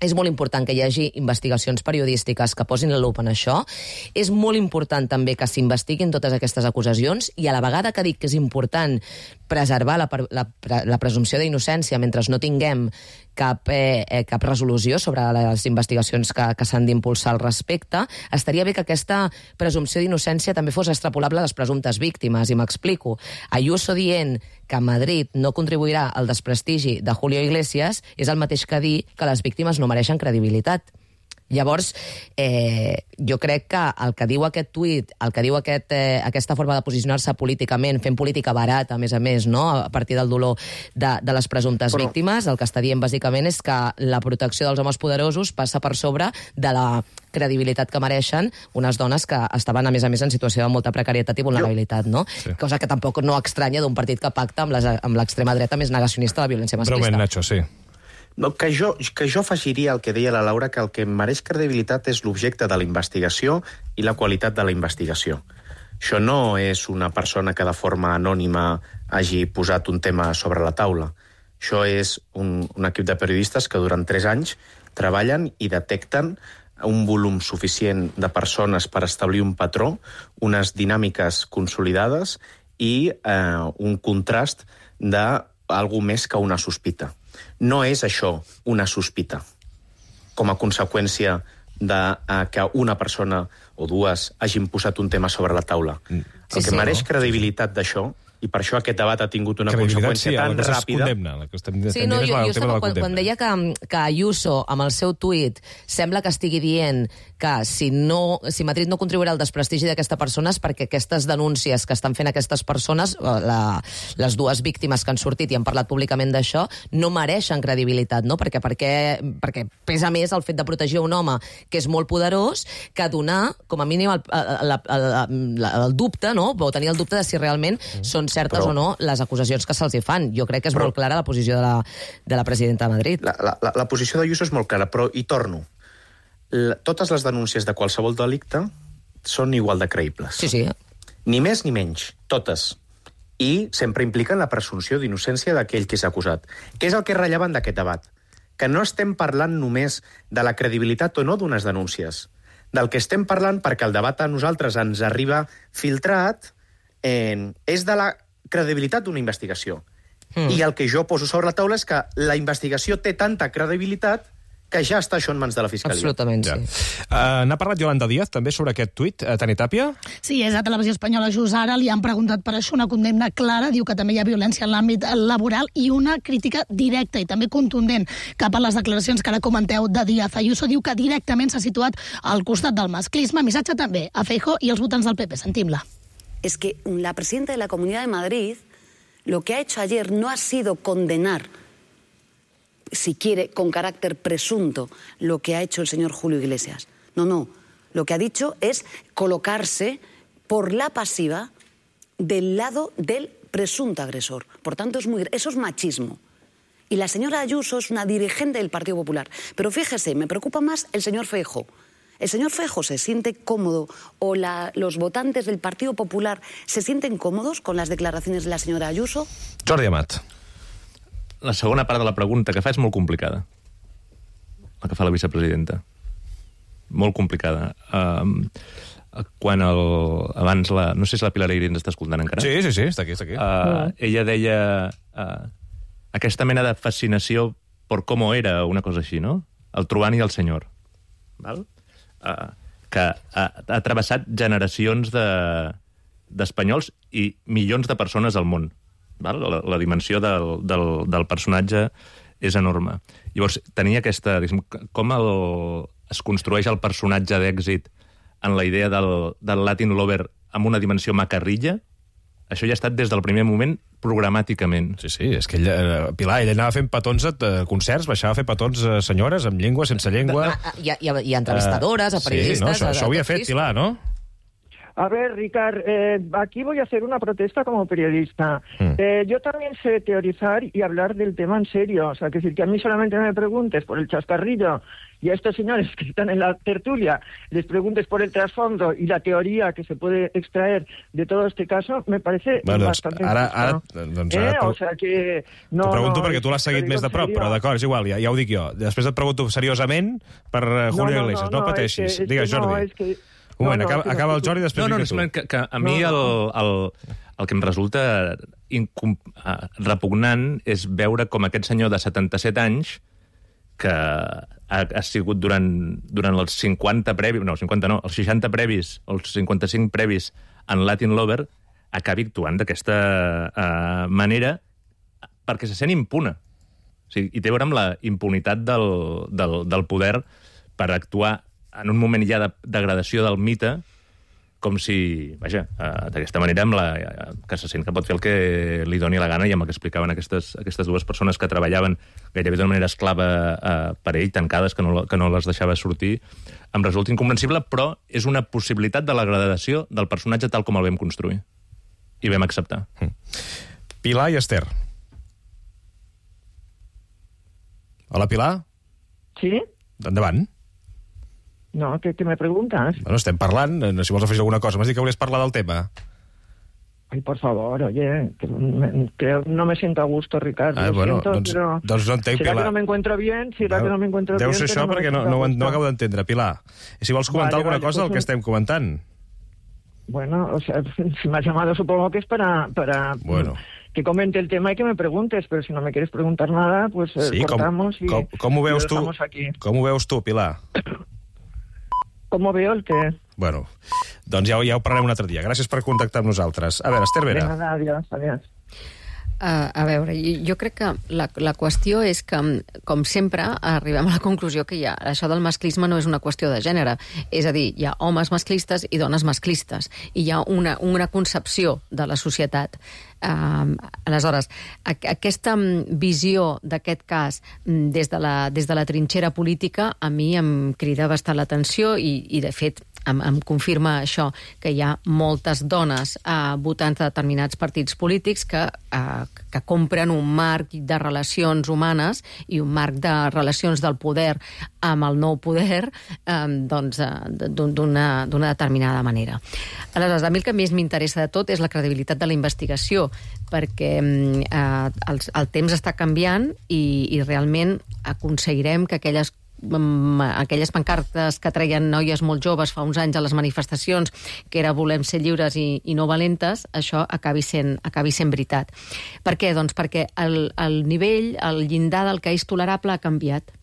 és molt important que hi hagi investigacions periodístiques que posin la lupa en això, és molt important també que s'investiguin totes aquestes acusacions, i a la vegada que dic que és important preservar la, la, la presumpció d'innocència mentre no tinguem cap, eh, cap resolució sobre les investigacions que, que s'han d'impulsar al respecte, estaria bé que aquesta presumpció d'innocència també fos extrapolable a les presumptes víctimes, i m'explico. Ayuso dient que Madrid no contribuirà al desprestigi de Julio Iglesias és el mateix que dir que les víctimes no mereixen credibilitat. Llavors, eh, jo crec que el que diu aquest tuit, el que diu aquest, eh, aquesta forma de posicionar-se políticament, fent política barata, a més a més, no? a partir del dolor de, de les presumptes Però... víctimes, el que està dient bàsicament és que la protecció dels homes poderosos passa per sobre de la credibilitat que mereixen unes dones que estaven, a més a més, en situació de molta precarietat i vulnerabilitat, no? Sí. Cosa que tampoc no estranya d'un partit que pacta amb l'extrema dreta més negacionista de la violència masclista. Breument, Nacho, sí. Que jo, que jo afegiria el que deia la Laura, que el que mereix credibilitat és l'objecte de la investigació i la qualitat de la investigació. Això no és una persona que de forma anònima hagi posat un tema sobre la taula. Això és un, un equip de periodistes que durant tres anys treballen i detecten un volum suficient de persones per establir un patró, unes dinàmiques consolidades i eh, un contrast d'algú més que una sospita. No és això una sospita, com a conseqüència de eh, que una persona o dues hagin posat un tema sobre la taula. Sí, el que sí, mereix no? credibilitat d'això, i per això aquest debat ha tingut una conseqüència sí, tan la que ràpida... Condemna, la que estem Sí, no, jo, jo estava, quan, quan deia que, que Ayuso, amb el seu tuit, sembla que estigui dient que si, no, si Madrid no contribuirà al desprestigi d'aquesta persona és perquè aquestes denúncies que estan fent aquestes persones, la, les dues víctimes que han sortit i han parlat públicament d'això, no mereixen credibilitat, no? Perquè, perquè, perquè pesa més el fet de protegir un home que és molt poderós que donar, com a mínim, el, el, el, el, el dubte, no? O tenir el dubte de si realment mm. són certes però, o no les acusacions que se'ls hi fan. Jo crec que és però, molt clara la posició de la, de la presidenta de Madrid. La, la, la posició d'Ayuso és molt clara, però hi torno. La, totes les denúncies de qualsevol delicte són igual de creïbles. Sí, sí. Ni més ni menys, totes. I sempre impliquen la presumpció d'innocència d'aquell que és acusat. Què és el que és rellevant d'aquest debat? Que no estem parlant només de la credibilitat o no d'unes denúncies. Del que estem parlant, perquè el debat a nosaltres ens arriba filtrat, eh, és de la credibilitat d'una investigació. Mm. I el que jo poso sobre la taula és que la investigació té tanta credibilitat que ja està això en mans de la Fiscalia. Absolutament, ja. sí. Uh, N'ha parlat Yolanda Díaz també sobre aquest tuit, uh, Tani Tàpia? Sí, és a Televisió Espanyola just ara, li han preguntat per això una condemna clara, diu que també hi ha violència en l'àmbit laboral i una crítica directa i també contundent cap a les declaracions que ara comenteu de Díaz. Ayuso diu que directament s'ha situat al costat del masclisme. Missatge també a Feijóo i els votants del P P. Sentim-la. Es que la presidenta de la Comunidad de Madrid lo que ha hecho ayer no ha sido condenar, si quiere, con carácter presunto, lo que ha hecho el señor Julio Iglesias. No, no. Lo que ha dicho es colocarse por la pasiva del lado del presunto agresor. Por tanto, es muy, eso es machismo. Y la señora Ayuso es una dirigente del Partido Popular. Pero fíjese, me preocupa más el señor Feijóo. ¿El señor Feijóo se siente cómodo o la, los votantes del Partido Popular se sienten cómodos con las declaraciones de la señora Ayuso? Jordi Amat. La segona part de la pregunta que fa és molt complicada. La que fa la vicepresidenta. Molt complicada. Um, quan el, abans la... No sé si la Pilar Aire ens està escoltant encara. Sí, sí, sí, està aquí, està aquí. Uh, ella deia uh, aquesta mena de fascinació per com era, una cosa així, no? El Truán i el senyor. Val? Uh, que ha, ha travessat generacions de, d'espanyols i milions de persones al món. Val? La, la dimensió del, del, del personatge és enorme. Llavors, tenia aquesta... Com el, es construeix el personatge d'èxit en la idea del, del Latin Lover amb una dimensió macarrilla, això ja ha estat des del primer moment programàticament. Sí, sí, és que ella, Pilar, ella anava fent petons a concerts, baixava a fer petons a senyores amb llengua, sense llengua... Hi ha, hi ha, hi ha entrevistadores, uh, a periodistes... Sí, no, això, a, això ho havia fet, Pilar, no? A ver, Ricard, eh, aquí voy a hacer una protesta como periodista. Mm. Eh, yo también sé teorizar y hablar del tema en serio. O sea, que decir que a mí solamente me preguntes por el chascarrillo y a estos señores que están en la tertulia les preguntes por el trasfondo y la teoría que se puede extraer de todo este caso, me parece bueno, doncs, bastante ara, injusto. ara, doncs, ara eh? O sea que... No, t'ho pregunto no, perquè tu l'has seguit més de prop, però d'acord, és igual, ja, ja ho dic jo. Després et pregunto seriosament per uh, Julio no, no, Iglesias, no, no, no pateixis. Que, Digues, Jordi. No, és que... Un moment, no, no, acaba, acaba el Jordi i després no, no, no, que, que a mi no, no. El, el, el que em resulta incom, repugnant és veure com aquest senyor de setanta-set anys, que ha, ha sigut durant, durant els cinquanta previs, no, cinquanta no, els seixanta previs, els cinquanta-cinc previs en Latin Lover, acabi actuant d'aquesta uh, manera perquè se sent impune. O sigui, i té a veure amb la impunitat del, del, del poder per actuar en un moment ja de degradació del mite, com si, vaja, uh, d'aquesta manera amb la, uh, que se sent que pot fer el que li doni la gana i amb el que explicaven aquestes, aquestes dues persones que treballaven gairebé d'una manera esclava uh, per ell, tancades, que no, que no les deixava sortir, em resulta incomprensible, però és una possibilitat de la degradació del personatge tal com el vam construir. I vam acceptar. Pilar i Esther. Hola, Pilar. Sí? Endavant. No, ¿qué, qué me preguntas? Bueno, estem parlant, si vols afegir alguna cosa. M'has dit que volies parlar del tema. Ay, por favor, oye, que, me, que no me siento a gusto, Ricardo. Ah, lo bueno, siento, doncs, pero... doncs no entenc, ¿Será Pilar. que no me encuentro bien? ¿Será que no me encuentro Deu bien? ser això pero perquè no, me no, siento a no gusto? acabo d'entendre, Pilar. I si vols comentar Vale, alguna vale, cosa del pues que un- estem comentant. Bueno, o sea, si me has llamado supongo que es para, para Bueno. que comente el tema y que me preguntes, pero si no me quieres preguntar nada, pues eh, Sí, com, cortamos y, com, com ho y lo veus tu? dejamos aquí. Com ho veus tu, Pilar? ¿Cómo veo el que? Bueno, doncs ja, ja ho parlarem un altre dia. Gràcies per contactar amb nosaltres. A veure, Esther De Vera. nada, adiós, adiós. Uh, a veure, jo, jo crec que la, la qüestió és que, com sempre, arribem a la conclusió que hi ha, això del masclisme no és una qüestió de gènere. És a dir, hi ha homes masclistes i dones masclistes. I hi ha una, una concepció de la societat. Uh, aleshores, a, aquesta visió d'aquest cas des de, la, des de la trinxera política a mi em crida bastant l'atenció i, i, de fet, em, em confirma això, que hi ha moltes dones eh, votants de determinats partits polítics que, eh, que compren un marc de relacions humanes i un marc de relacions del poder amb el nou poder eh, doncs, eh, d'una determinada manera. Aleshores, a mi el que més m'interessa de tot és la credibilitat de la investigació, perquè eh, el, el temps està canviant i, i realment aconseguirem que aquelles aquelles pancartes que treien noies molt joves fa uns anys a les manifestacions, que era volem ser lliures i, i no valentes, això acabi sent, acabi sent veritat. Per què? Doncs perquè el, el nivell, el llindar del que és tolerable ha canviat.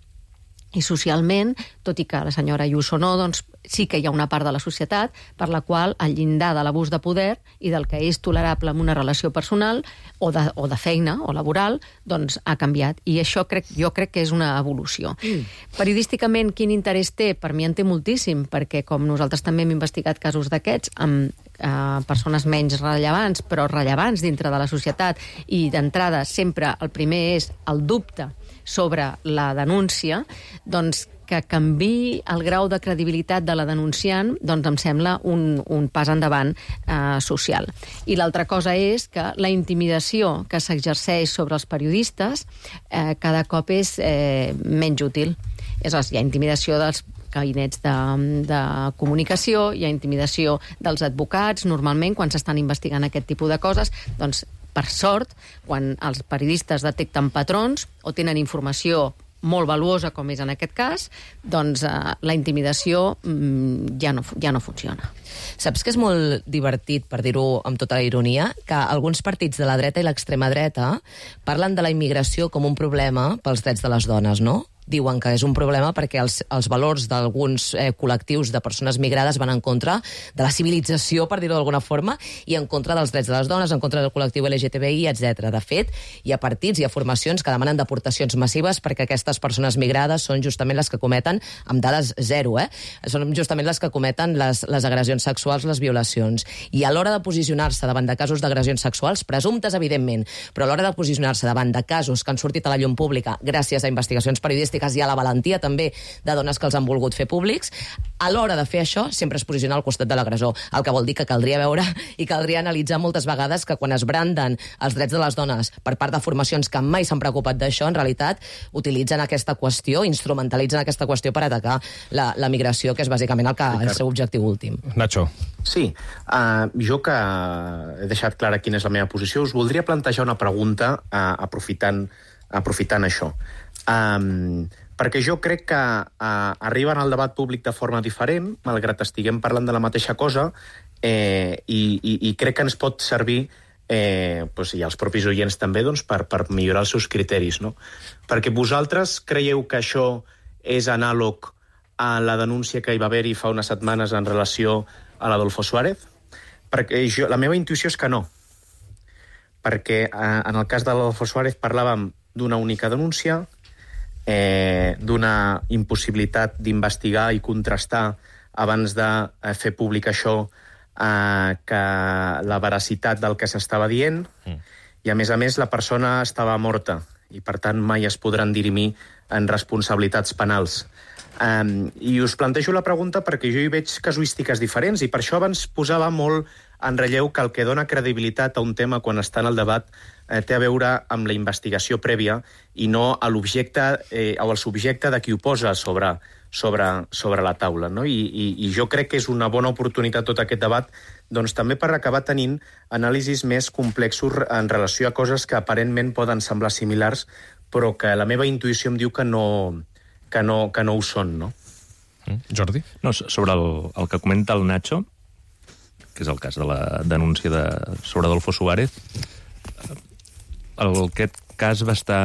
I socialment, tot i que la senyora Ayuso no, doncs sí que hi ha una part de la societat per la qual el llindar de l'abús de poder i del que és tolerable en una relació personal o de, o de feina o laboral, doncs ha canviat. I això crec, jo crec que és una evolució. Mm. Periodísticament, quin interès té? Per mi en té moltíssim, perquè com nosaltres també hem investigat casos d'aquests amb eh, persones menys rellevants, però rellevants dintre de la societat, i d'entrada sempre el primer és el dubte sobre la denúncia, doncs que canviï el grau de credibilitat de la denunciant, doncs em sembla un, un pas endavant eh, social. I l'altra cosa és que la intimidació que s'exerceix sobre els periodistes eh, cada cop és eh, menys útil. És a dir, hi ha intimidació dels gabinets de, de comunicació, hi ha intimidació dels advocats, normalment quan s'estan investigant aquest tipus de coses, doncs per sort, quan els periodistes detecten patrons o tenen informació molt valuosa, com és en aquest cas, doncs eh, la intimidació mm, ja, no, ja no funciona. Saps que és molt divertit, per dir-ho amb tota la ironia, que alguns partits de la dreta i l'extrema dreta parlen de la immigració com un problema pels drets de les dones, no? Diuen que és un problema perquè els, els valors d'alguns eh, col·lectius de persones migrades van en contra de la civilització, per dir-ho d'alguna forma, i en contra dels drets de les dones, en contra del col·lectiu L G T B I, etcètera. De fet, hi ha partits, hi ha formacions que demanen deportacions massives perquè aquestes persones migrades són justament les que cometen, amb dades zero, eh? Són justament les que cometen les, les agressions sexuals, les violacions. I a l'hora de posicionar-se davant de casos d'agressions sexuals, presumptes, evidentment, però a l'hora de posicionar-se davant de casos que han sortit a la llum pública gràcies a investigacions periodístiques i a la valentia també de dones que els han volgut fer públics, a l'hora de fer això sempre es posiciona al costat de l'agressor, el que vol dir que caldria veure i caldria analitzar moltes vegades que quan es branden els drets de les dones per part de formacions que mai s'han preocupat d'això, en realitat utilitzen aquesta qüestió, instrumentalitzen aquesta qüestió per atacar la, la migració, que és bàsicament el, que, el seu objectiu últim. Nacho. Sí, uh, jo que he deixat clara quina és la meva posició, us voldria plantejar una pregunta uh, aprofitant, aprofitant això. Um, perquè jo crec que uh, arriben al debat públic de forma diferent, malgrat estiguem parlant de la mateixa cosa, eh, i, i, i crec que ens pot servir, eh, doncs, i els propis oients també, doncs, per, per millorar els seus criteris, no? Perquè vosaltres creieu que això és anàleg a la denúncia que hi va haver-hi fa unes setmanes en relació a l'Adolfo Suárez? Perquè jo, la meva intuïció és que no. Perquè eh, en el cas de l'Adolfo Suárez parlàvem d'una única denúncia, eh, d'una impossibilitat d'investigar i contrastar abans de eh, fer públic això, eh, que la veracitat del que s'estava dient, mm. i a més a més la persona estava morta i per tant mai es podran dirimir en responsabilitats penals. Um, I us plantejo la pregunta perquè jo hi veig casuístiques diferents i per això abans posava molt en relleu que el que dona credibilitat a un tema quan està en el debat eh, té a veure amb la investigació prèvia i no a l'objecte eh, o al subjecte de qui ho posa sobre, sobre, sobre la taula. No? I, i, I jo crec que és una bona oportunitat tot aquest debat doncs, també per acabar tenint anàlisis més complexos en relació a coses que aparentment poden semblar similars però que la meva intuïció em diu que no, que no, que no ho són, no? Mm. Jordi? No, sobre el, el que comenta el Nacho, que és el cas de la denúncia de, sobre Adolfo Suárez, el, aquest cas va estar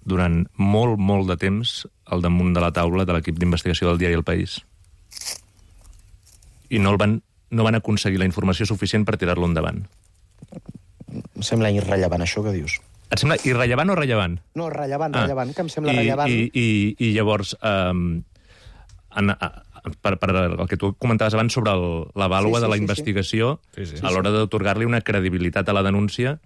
durant molt, molt de temps al damunt de la taula de l'equip d'investigació del diari El País. I no, el van, no van aconseguir la informació suficient per tirar-lo endavant. Em sembla irrellevant, això que dius. Et sembla irrellevant o rellevant? No, rellevant, ah. rellevant, que em sembla I, rellevant. I, i, i llavors, um, en, per, per el que tu comentaves abans sobre el, la vàlua sí, sí, de la sí, investigació, sí. Sí, sí. a l'hora d'atorgar-li una credibilitat a la denúncia,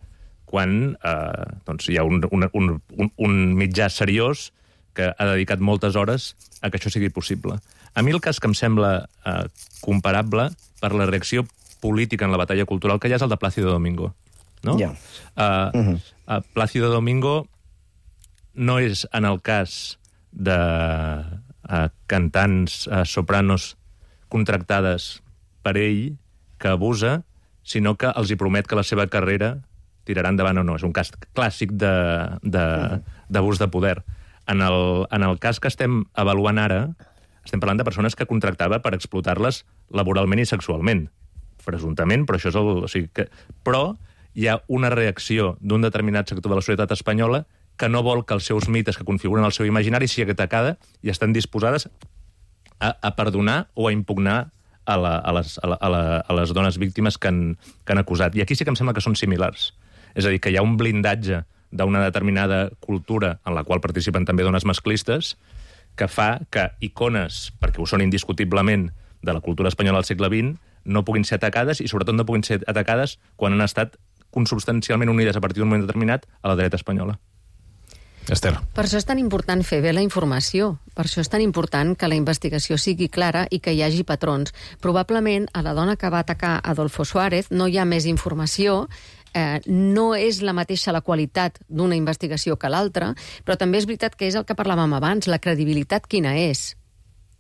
quan eh, doncs hi ha un, un, un, un mitjà seriós que ha dedicat moltes hores a que això sigui possible. A mi el cas que em sembla eh, comparable per la reacció política en la batalla cultural que hi ha és el de Plácido Domingo. No? Ja. Uh, uh-huh. uh, Plácido Domingo no és en el cas de uh, cantants, uh, sopranos contractades per ell que abusa, sinó que els hi promet que la seva carrera tirarà endavant o no. És un cas clàssic d'abús de, de poder. En el, en el cas que estem avaluant ara, estem parlant de persones que contractava per explotar-les laboralment i sexualment. Presumptament, però això és el... O sigui que, però hi ha una reacció d'un determinat sector de la societat espanyola que no vol que els seus mites que configuren el seu imaginari sigui atacada i estan disposades a, a perdonar o a impugnar a, la, a, les, a, la, a, la, a les dones víctimes que han, que han acusat. I aquí sí que em sembla que són similars. És a dir, que hi ha un blindatge d'una determinada cultura en la qual participen també dones masclistes que fa que icones, perquè ho són indiscutiblement, de la cultura espanyola del segle vint, no puguin ser atacades i sobretot no puguin ser atacades quan han estat consubstancialment unides a partir d'un moment determinat a la dreta espanyola. Esther. Per això és tan important fer bé la informació. Per això és tan important que la investigació sigui clara i que hi hagi patrons. Probablement a la dona que va atacar Adolfo Suárez no hi ha més informació, eh, no és la mateixa la qualitat d'una investigació que l'altra, però també és veritat que és el que parlàvem abans, la credibilitat quina és.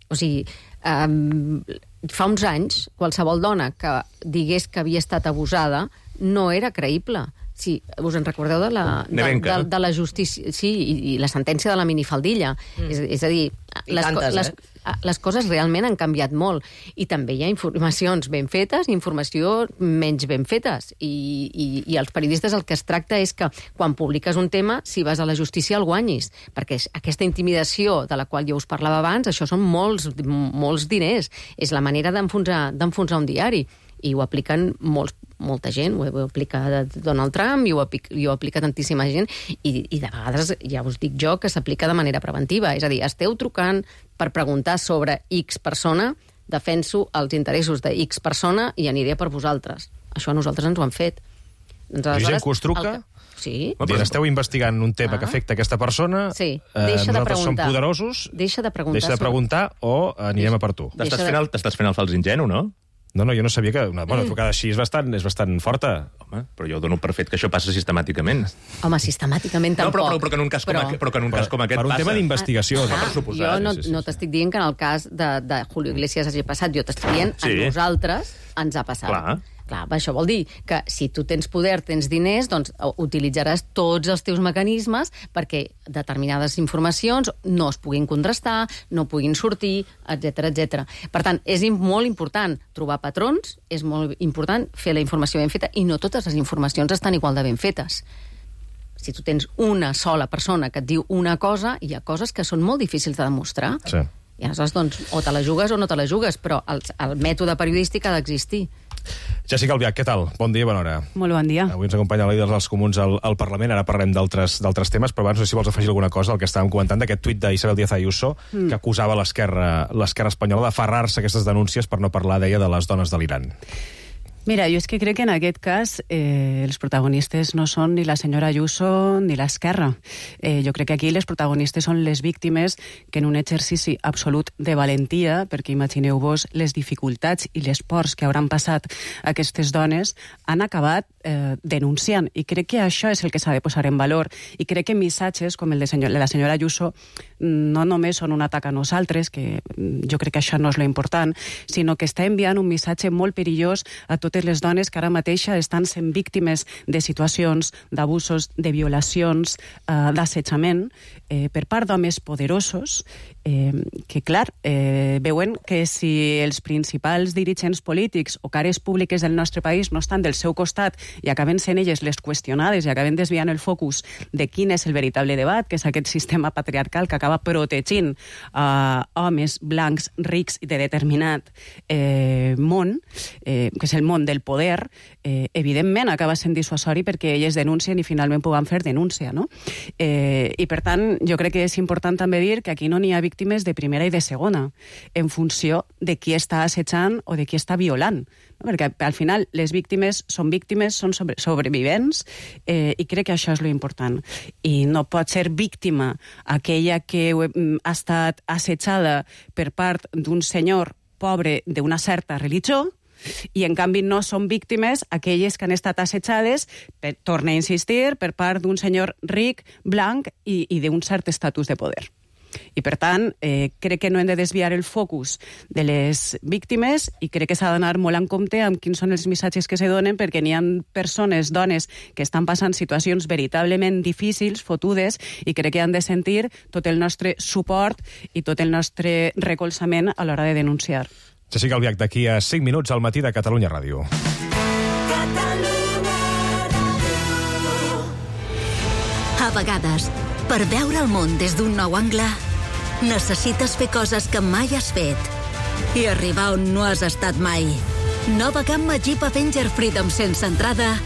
O sigui, eh, fa uns anys, qualsevol dona que digués que havia estat abusada no era creïble. Sí, us en recordeu de la, de, de, de la justícia... Sí, i, i la sentència de la minifaldilla. Mm. És, és a dir, les, tantes, les, eh? les coses realment han canviat molt. I també hi ha informacions ben fetes i informació menys ben fetes. I, i, i els periodistes el que es tracta és que quan publiques un tema, si vas a la justícia el guanyis. Perquè aquesta intimidació de la qual jo us parlava abans, això són molts, molts diners. És la manera d'enfonsar d'enfonsar un diari. I ho apliquen molts, molta gent, ho, ho aplica Donald Trump i ho aplica, i ho aplica tantíssima gent, i, i de vegades, ja us dic jo, que s'aplica de manera preventiva. És a dir, esteu trucant per preguntar sobre X persona, defenso els interessos de X persona i aniré per vosaltres. Això a nosaltres ens ho han fet. Doncs, I gent que us truca? Que... Sí. Dir, esteu investigant un tema ah. que afecta aquesta persona, sí. Deixa eh, de nosaltres som poderosos, deixa de preguntar, deixa de preguntar sobre... o anirem deixa, a per tu. T'estàs fent, el, t'estàs fent el fals ingenu, no? No, no, jo no sabia que una bona mm. trucada així és bastant, és bastant forta. Home, però jo dono per fet que això passa sistemàticament. Home, sistemàticament tampoc. No, però, però, però que en un cas, però... com, aqu però que en un cas com aquest per un passa. tema d'investigació. Ah, ah, jo no, sí, sí, no t'estic dient que en el cas de, de Julio Iglesias hagi passat, jo t'estic dient sí. A nosaltres ens ha passat. Clar. Clar, això vol dir que si tu tens poder, tens diners, doncs utilitzaràs tots els teus mecanismes perquè determinades informacions no es puguin contrastar, no puguin sortir, etcètera, etcètera. Per tant, és molt important trobar patrons, és molt important fer la informació ben feta, i no totes les informacions estan igual de ben fetes. Si tu tens una sola persona que et diu una cosa, hi ha coses que són molt difícils de demostrar. Sí. I aleshores, doncs, o te la jugues o no te la jugues, però el, el mètode periodístic ha d'existir. Jessica Albiach, què tal? Bon dia, bona hora. Molt bon dia. Avui ens acompanya el líder dels comuns al, al Parlament, ara parlem d'altres temes, però abans no sé si vols afegir alguna cosa al que estàvem comentant d'aquest tuit d'Isabel Díaz Ayuso, mm. que acusava l'esquerra l'esquerra espanyola d'aferrar-se a aquestes denúncies per no parlar, deia, de les dones de l'Iran. Mira, jo és que crec que en aquest cas eh, els protagonistes no són ni la senyora Ayuso ni l'Esquerra. Eh, jo crec que aquí les protagonistes són les víctimes que en un exercici absolut de valentia, perquè imagineu-vos les dificultats i les pors que hauran passat aquestes dones, han acabat eh, denunciant. I crec que això és el que s'ha de posar en valor. I crec que missatges com el de senyor, la senyora Ayuso no només són un atac a nosaltres, que jo crec que això no és lo important, sinó que està enviant un missatge molt perillós a totes les dones que ara mateix estan sent víctimes de situacions d'abusos, de violacions, eh, d'assetjament eh, per part d'homes poderosos eh, que, clar, eh, veuen que si els principals dirigents polítics o cares públiques del nostre país no estan del seu costat i acaben sent elles les qüestionades i acaben desviant el focus de quin és el veritable debat, que és aquest sistema patriarcal que acaba protegint eh, homes blancs, rics i de determinat eh, món, eh, que és el món del poder, eh, evidentment acaba sent dissuasori perquè elles denuncien i finalment puguen fer denúncia, no? Eh, I per tant, jo crec que és important també dir que aquí no n'hi ha víctimes de primera i de segona, en funció de qui està assetjant o de qui està violant. No? Perquè al final les víctimes són víctimes, són sobre, sobrevivents, eh, i crec que això és lo important. I no pot ser víctima aquella que ha estat assetjada per part d'un senyor pobre d'una certa religió, i en canvi no són víctimes aquelles que han estat assetjades, per, torna a insistir, per part d'un senyor ric, blanc i, i d'un cert estatus de poder. I per tant, eh, crec que no hem de desviar el focus de les víctimes i crec que s'ha d'anar molt en compte amb quins són els missatges que se donen, perquè n'hi ha persones, dones, que estan passant situacions veritablement difícils, fotudes, i crec que han de sentir tot el nostre suport i tot el nostre recolzament a l'hora de denunciar. Jessica Albiach, d'aquí a cinc minuts al matí de Catalunya Ràdio. A vegades, per veure el món des d'un nou angle, necessites fer coses que mai has fet i arribar on no has estat mai. Nova gamma Jeep Avenger Freedom sense entrada,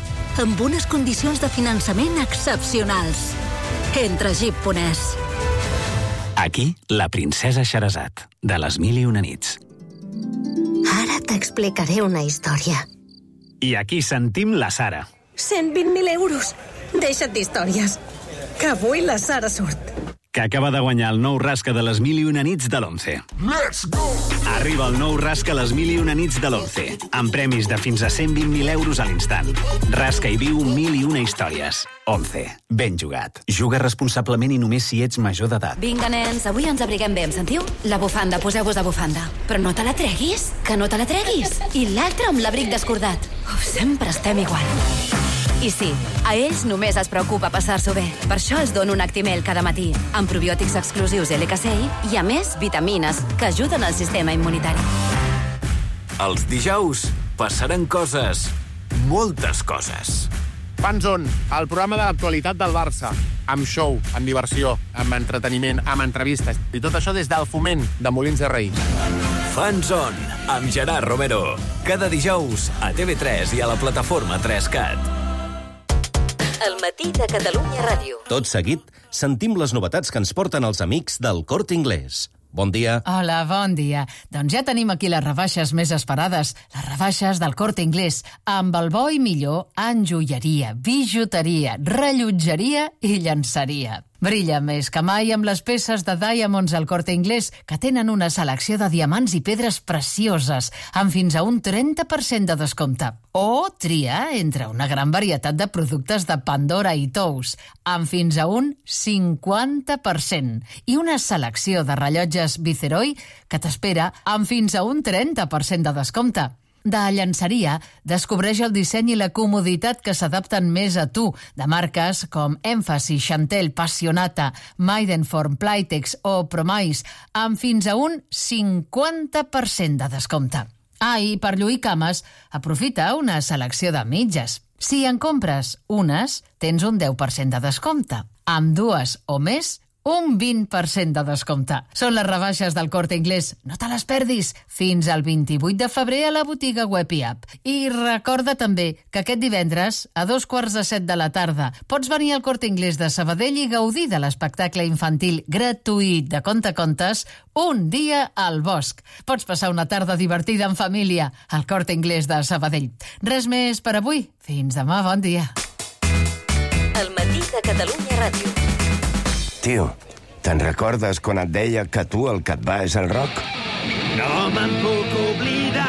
amb unes condicions de finançament excepcionals. Entra a jeep punt es. Aquí, la princesa Sherazad, de les mil i una nits. Ara t'explicaré una història. I aquí sentim la Sara. cent vint mil euros. Deixa't d'històries. Que avui la Sara surt. Que acaba de guanyar el nou rasca de les mil i una nits de l'Once. Let's go! Arriba el nou rasca les mil i una nits de l'Once, amb premis de fins a cent vint mil euros a l'instant. Rasca i viu mil i una històries. Once. Ben jugat. Juga responsablement i només si ets major d'edat. Vinga, nens, avui ens abriguem bé, em sentiu? La bufanda, poseu-vos la bufanda. Però no te la treguis, que no te la treguis. I l'altre amb l'abric descordat. Uf, sempre estem igual. I sí, a ells només es preocupa passar-s'ho bé. Per això els dono un Actimel cada matí, amb probiòtics exclusius L K C I i, a més, vitamines que ajuden al sistema immunitari. Els dijous passaran coses, moltes coses. Fanzone, el programa de l'actualitat del Barça, amb show, amb diversió, amb entreteniment, amb entrevistes, i tot això des del Foment de Molins de Rei. Fanzone, amb Gerard Romero, cada dijous a T V tres i a la plataforma tres cat. El matí de Catalunya Ràdio. Tot seguit, sentim les novetats que ens porten els amics del Corte Inglés. Bon dia. Hola, bon dia. Doncs ja tenim aquí les rebaixes més esperades, les rebaixes del Corte Inglés, amb el bo i millor en joieria, bijuteria, rellotgeria i llenceria. Brilla més que mai amb les peces de Diamonds al Corte Inglés, que tenen una selecció de diamants i pedres precioses, amb fins a un trenta per cent de descompte. O tria entre una gran varietat de productes de Pandora i Tous, amb fins a un cinquanta per cent. I una selecció de rellotges Viceroy que t'espera amb fins a un trenta per cent de descompte. De llenceria, descobreix el disseny i la comoditat que s'adapten més a tu, de marques com Emphasis, Chantel, Passionata, Maidenform, Playtex o Promise, amb fins a un cinquanta per cent de descompte. Ah, i per lluir cames, aprofita una selecció de mitges. Si en compres unes, tens un deu per cent de descompte. Amb dues o més, un vint per cent de descompte. Són les rebaixes del Corte Inglés. No te les perdis. Fins al vint-i-vuit de febrer a la botiga web i app. I recorda també que aquest divendres, a dos quarts de set de la tarda, pots venir al Corte Inglés de Sabadell i gaudir de l'espectacle infantil gratuït de Contacontes Un dia al bosc. Pots passar una tarda divertida en família al Corte Inglés de Sabadell. Res més per avui. Fins demà, bon dia. El matí de Catalunya Ràdio. Tio, te'n recordes quan et deia que tu el que et va és el rock? No me'n puc oblidar,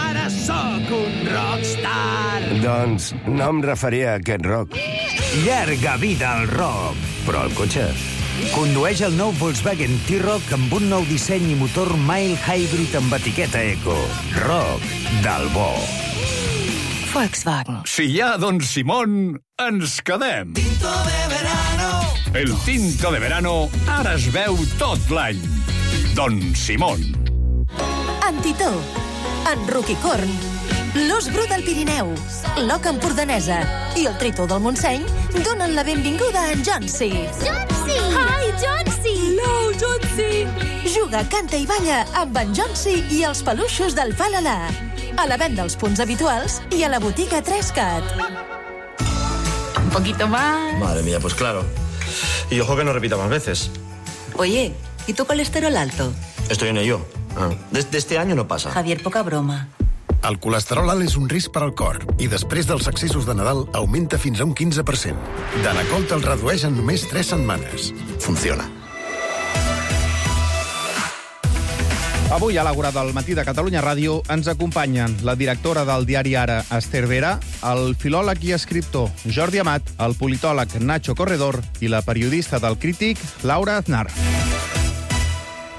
ara sóc un rockstar. Doncs no em referia a aquest rock. Llarga vida al rock. Però el cotxe... Condueix el nou Volkswagen T-Roc amb un nou disseny i motor mild hybrid amb etiqueta eco. Rock del bo. Volkswagen. Si hi ha Don Simón, ens quedem. Tinto de verano. El tinto de verano ara es veu tot l'any. Don Simón. Antitó, en Roquicorn, l'Os Bru del Pirineu, l'Oca Empordanesa i el Tritó del Montseny donen la benvinguda a en Jonsi. Jonsi! Hi, Jonsi! Hello, Jonsi! Juga, canta i balla amb en Jonsi i els peluixos del Falala. A la venda als punts habituals i a la botiga tres cat. Un poquito más. Madre mía, pues claro. Y ojo que no repita más veces. Oye, ¿y tu colesterol alto? Estoy en ello. Ah, desde este año no pasa. Javier, poca broma. El colesterol alt és un risc per al cor i després dels accessos de Nadal augmenta fins a un quinze per cent. Danacol te'l redueix en només tres setmanes. Funciona. Avui a l'Àgora del matí de Catalunya Ràdio ens acompanyen la directora del diari Ara, Esther Vera, el filòleg i escriptor Jordi Amat, el politòleg Nacho Corredor i la periodista del Crític, Laura Aznar.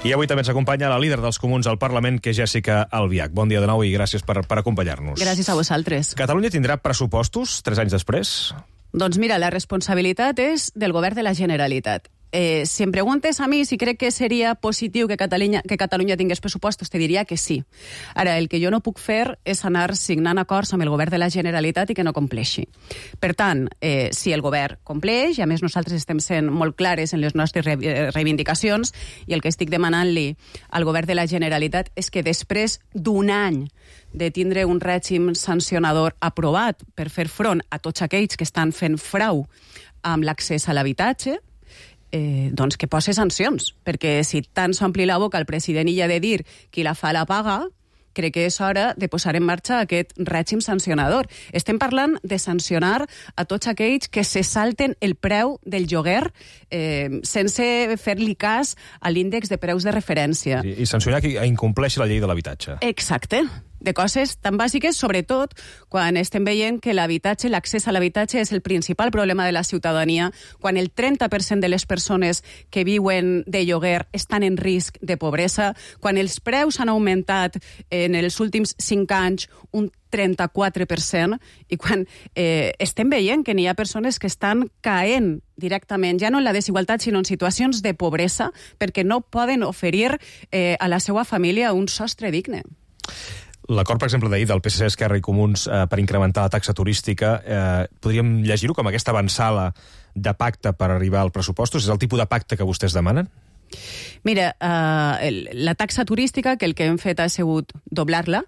I avui també ens acompanya la líder dels comuns al Parlament, que és Jèssica Albiach. Bon dia de nou i gràcies per, per acompanyar-nos. Gràcies a vosaltres. Catalunya tindrà pressupostos tres anys després? Doncs mira, la responsabilitat és del govern de la Generalitat. Eh, si em preguntes a mi si crec que seria positiu que Catalunya, que Catalunya tingués pressupostos, te diria que sí. Ara, el que jo no puc fer és anar signant acords amb el govern de la Generalitat i que no compleixi. Per tant, eh, si el govern compleix, i a més nosaltres estem sent molt clares en les nostres reivindicacions, i el que estic demanant-li al govern de la Generalitat és que després d'un any de tindre un règim sancionador aprovat per fer front a tots aquells que estan fent frau amb l'accés a l'habitatge, Eh, doncs que posi sancions, perquè si tant s'ompli la boca el president i ha de dir qui la fa la paga, crec que és hora de posar en marxa aquest règim sancionador. Estem parlant de sancionar a tots aquells que se salten el preu del lloguer eh, sense fer-li cas a l'índex de preus de referència. I, i sancionar qui incompleixi la llei de l'habitatge. Exacte. De coses tan bàsiques, sobretot quan estem veient que l'habitatge, l'accés a l'habitatge és el principal problema de la ciutadania, quan el trenta per cent de les persones que viuen de lloguer estan en risc de pobresa, quan els preus han augmentat en els últims cinc anys un trenta-quatre per cent, i quan eh, estem veient que n'hi ha persones que estan caent directament, ja no en la desigualtat, sinó en situacions de pobresa, perquè no poden oferir eh, a la seva família un sostre digne. L'acord, per exemple, d'ahir del P S C, Esquerra i Comuns eh, per incrementar la taxa turística, eh, podríem llegir-ho com aquesta avançada de pacte per arribar al pressupostos? És el tipus de pacte que vostès demanen? Mira, eh, la taxa turística, que el que hem fet ha sigut doblar-la,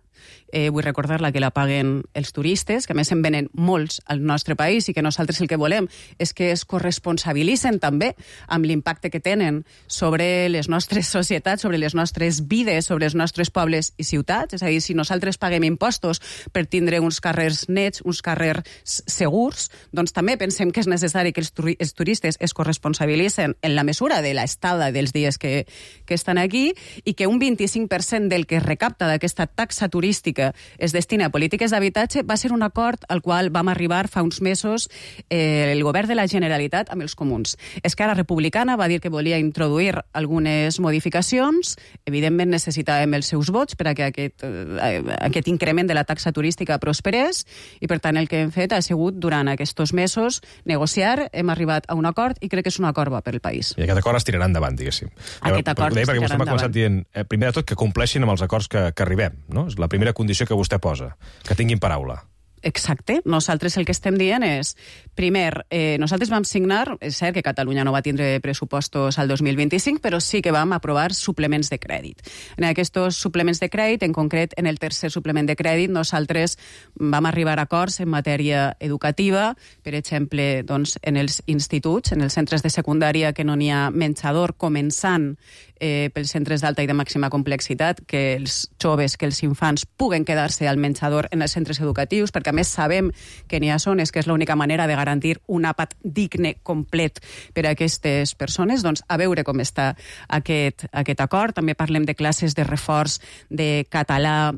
eh, vull recordar-la que la paguen els turistes, que a més en venen molts al nostre país i que nosaltres el que volem és que es corresponsabilitzen també amb l'impacte que tenen sobre les nostres societats, sobre les nostres vides, sobre els nostres pobles i ciutats. És a dir, si nosaltres paguem impostos per tindre uns carrers nets, uns carrers segurs, doncs també pensem que és necessari que els, turi els turistes es corresponsabilitzen en la mesura de l'estada dels dies que, que estan aquí i que un vint-i-cinc per cent del que es recapta d'aquesta taxa turística es destina a polítiques d'habitatge. Va ser un acord al qual vam arribar fa uns mesos eh, el govern de la Generalitat amb els comuns. Esquerra Republicana va dir que volia introduir algunes modificacions. Evidentment necessitàvem els seus vots per a que aquest, eh, aquest increment de la taxa turística prosperés i per tant el que hem fet ha sigut durant aquests mesos negociar, hem arribat a un acord i crec que és un acord bo per al país. I aquest acord es tirarà endavant, diguéssim. Aquest acord es tirarà endavant. Perquè vostè m'ha començat dient, eh, primer de tot, que compleixin amb els acords que, que arribem, no? És la primera condició que vostè posa, que tinguin paraula. Exacte. Nosaltres el que estem dient és, primer, eh, nosaltres vam signar, és cert que Catalunya no va tindre pressupostos al dos mil vint-i-cinc, però sí que vam aprovar suplements de crèdit. En aquests suplements de crèdit, en concret, en el tercer suplement de crèdit, nosaltres vam arribar a acords en matèria educativa, per exemple, doncs, en els instituts, en els centres de secundària que no n'hi ha menjador, començant eh, pels centres d'alta i de màxima complexitat, que els joves, que els infants puguen quedar-se al menjador en els centres educatius, perquè a més sabem que n'hi ha zones que és l'única manera de garantir un àpat digne, complet per a aquestes persones. Doncs a veure com està aquest, aquest acord. També parlem de classes de reforç de català,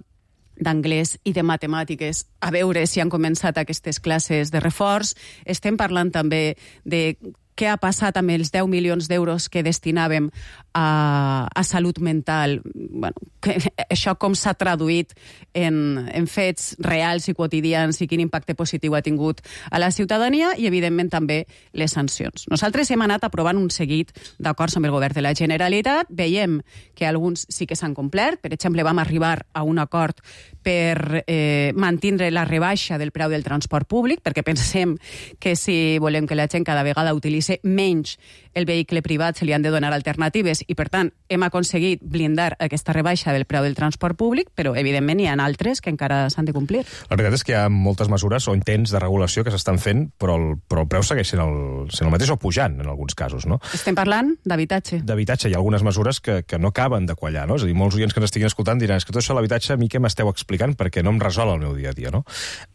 d'anglès i de matemàtiques, a veure si han començat aquestes classes de reforç. Estem parlant també de què ha passat amb els deu milions d'euros que destinàvem a, a salut mental. Bueno, que, això com s'ha traduït en, en fets reals i quotidians i quin impacte positiu ha tingut a la ciutadania i, evidentment, també les sancions. Nosaltres hem anat aprovant un seguit d'acords amb el govern de la Generalitat. Veiem que alguns sí que s'han complert. Per exemple, vam arribar a un acord per eh, mantindre la rebaixa del preu del transport públic, perquè pensem que si volem que la gent cada vegada utilitzi menys el vehicle privat se li han de donar alternatives i, per tant, hem aconseguit blindar aquesta rebaixa del preu del transport públic, però, evidentment, hi ha altres que encara s'han de complir. La veritat és que hi ha moltes mesures o intents de regulació que s'estan fent, però el, però el preu segueix sent el, sent el mateix o pujant, en alguns casos, no? Estem parlant d'habitatge. D'habitatge. Hi ha algunes mesures que, que no acaben de quallar, no? És a dir, molts oients que ens estiguin escoltant diran és que tot això de l'habitatge a mi què m'esteu explicant perquè no em resol el meu dia a dia, no?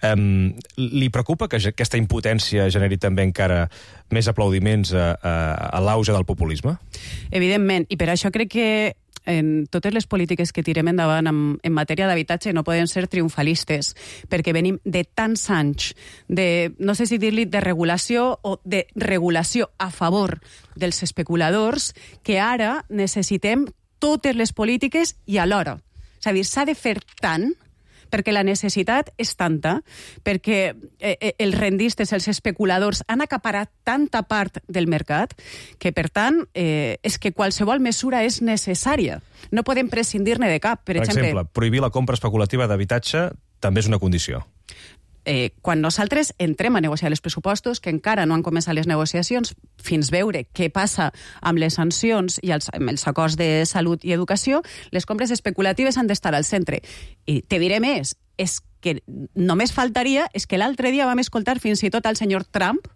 Um, li preocupa que aquesta impotència generi també encara més aplaudiments a, a, a l'auge del populisme? Evidentment, i per això crec que en totes les polítiques que tirem endavant en, en matèria d'habitatge no poden ser triomfalistes, perquè venim de tants anys de, no sé si dir-li de regulació o de regulació a favor dels especuladors, que ara necessitem totes les polítiques i alhora. És a dir, s'ha de fer tant perquè la necessitat és tanta, perquè eh, els rendistes, els especuladors, han acaparat tanta part del mercat que, per tant, eh, és que qualsevol mesura és necessària. No podem prescindir-ne de cap. Per, per exemple, exemple, prohibir la compra especulativa d'habitatge també és una condició. Eh, quan nosaltres entrem a negociar els pressupostos, que encara no han començat les negociacions, fins veure què passa amb les sancions i els, amb els acords de salut i educació, les compres especulatives han d'estar al centre. I te diré més, és que només faltaria és que l'altre dia vam escoltar fins i tot al senyor Trump,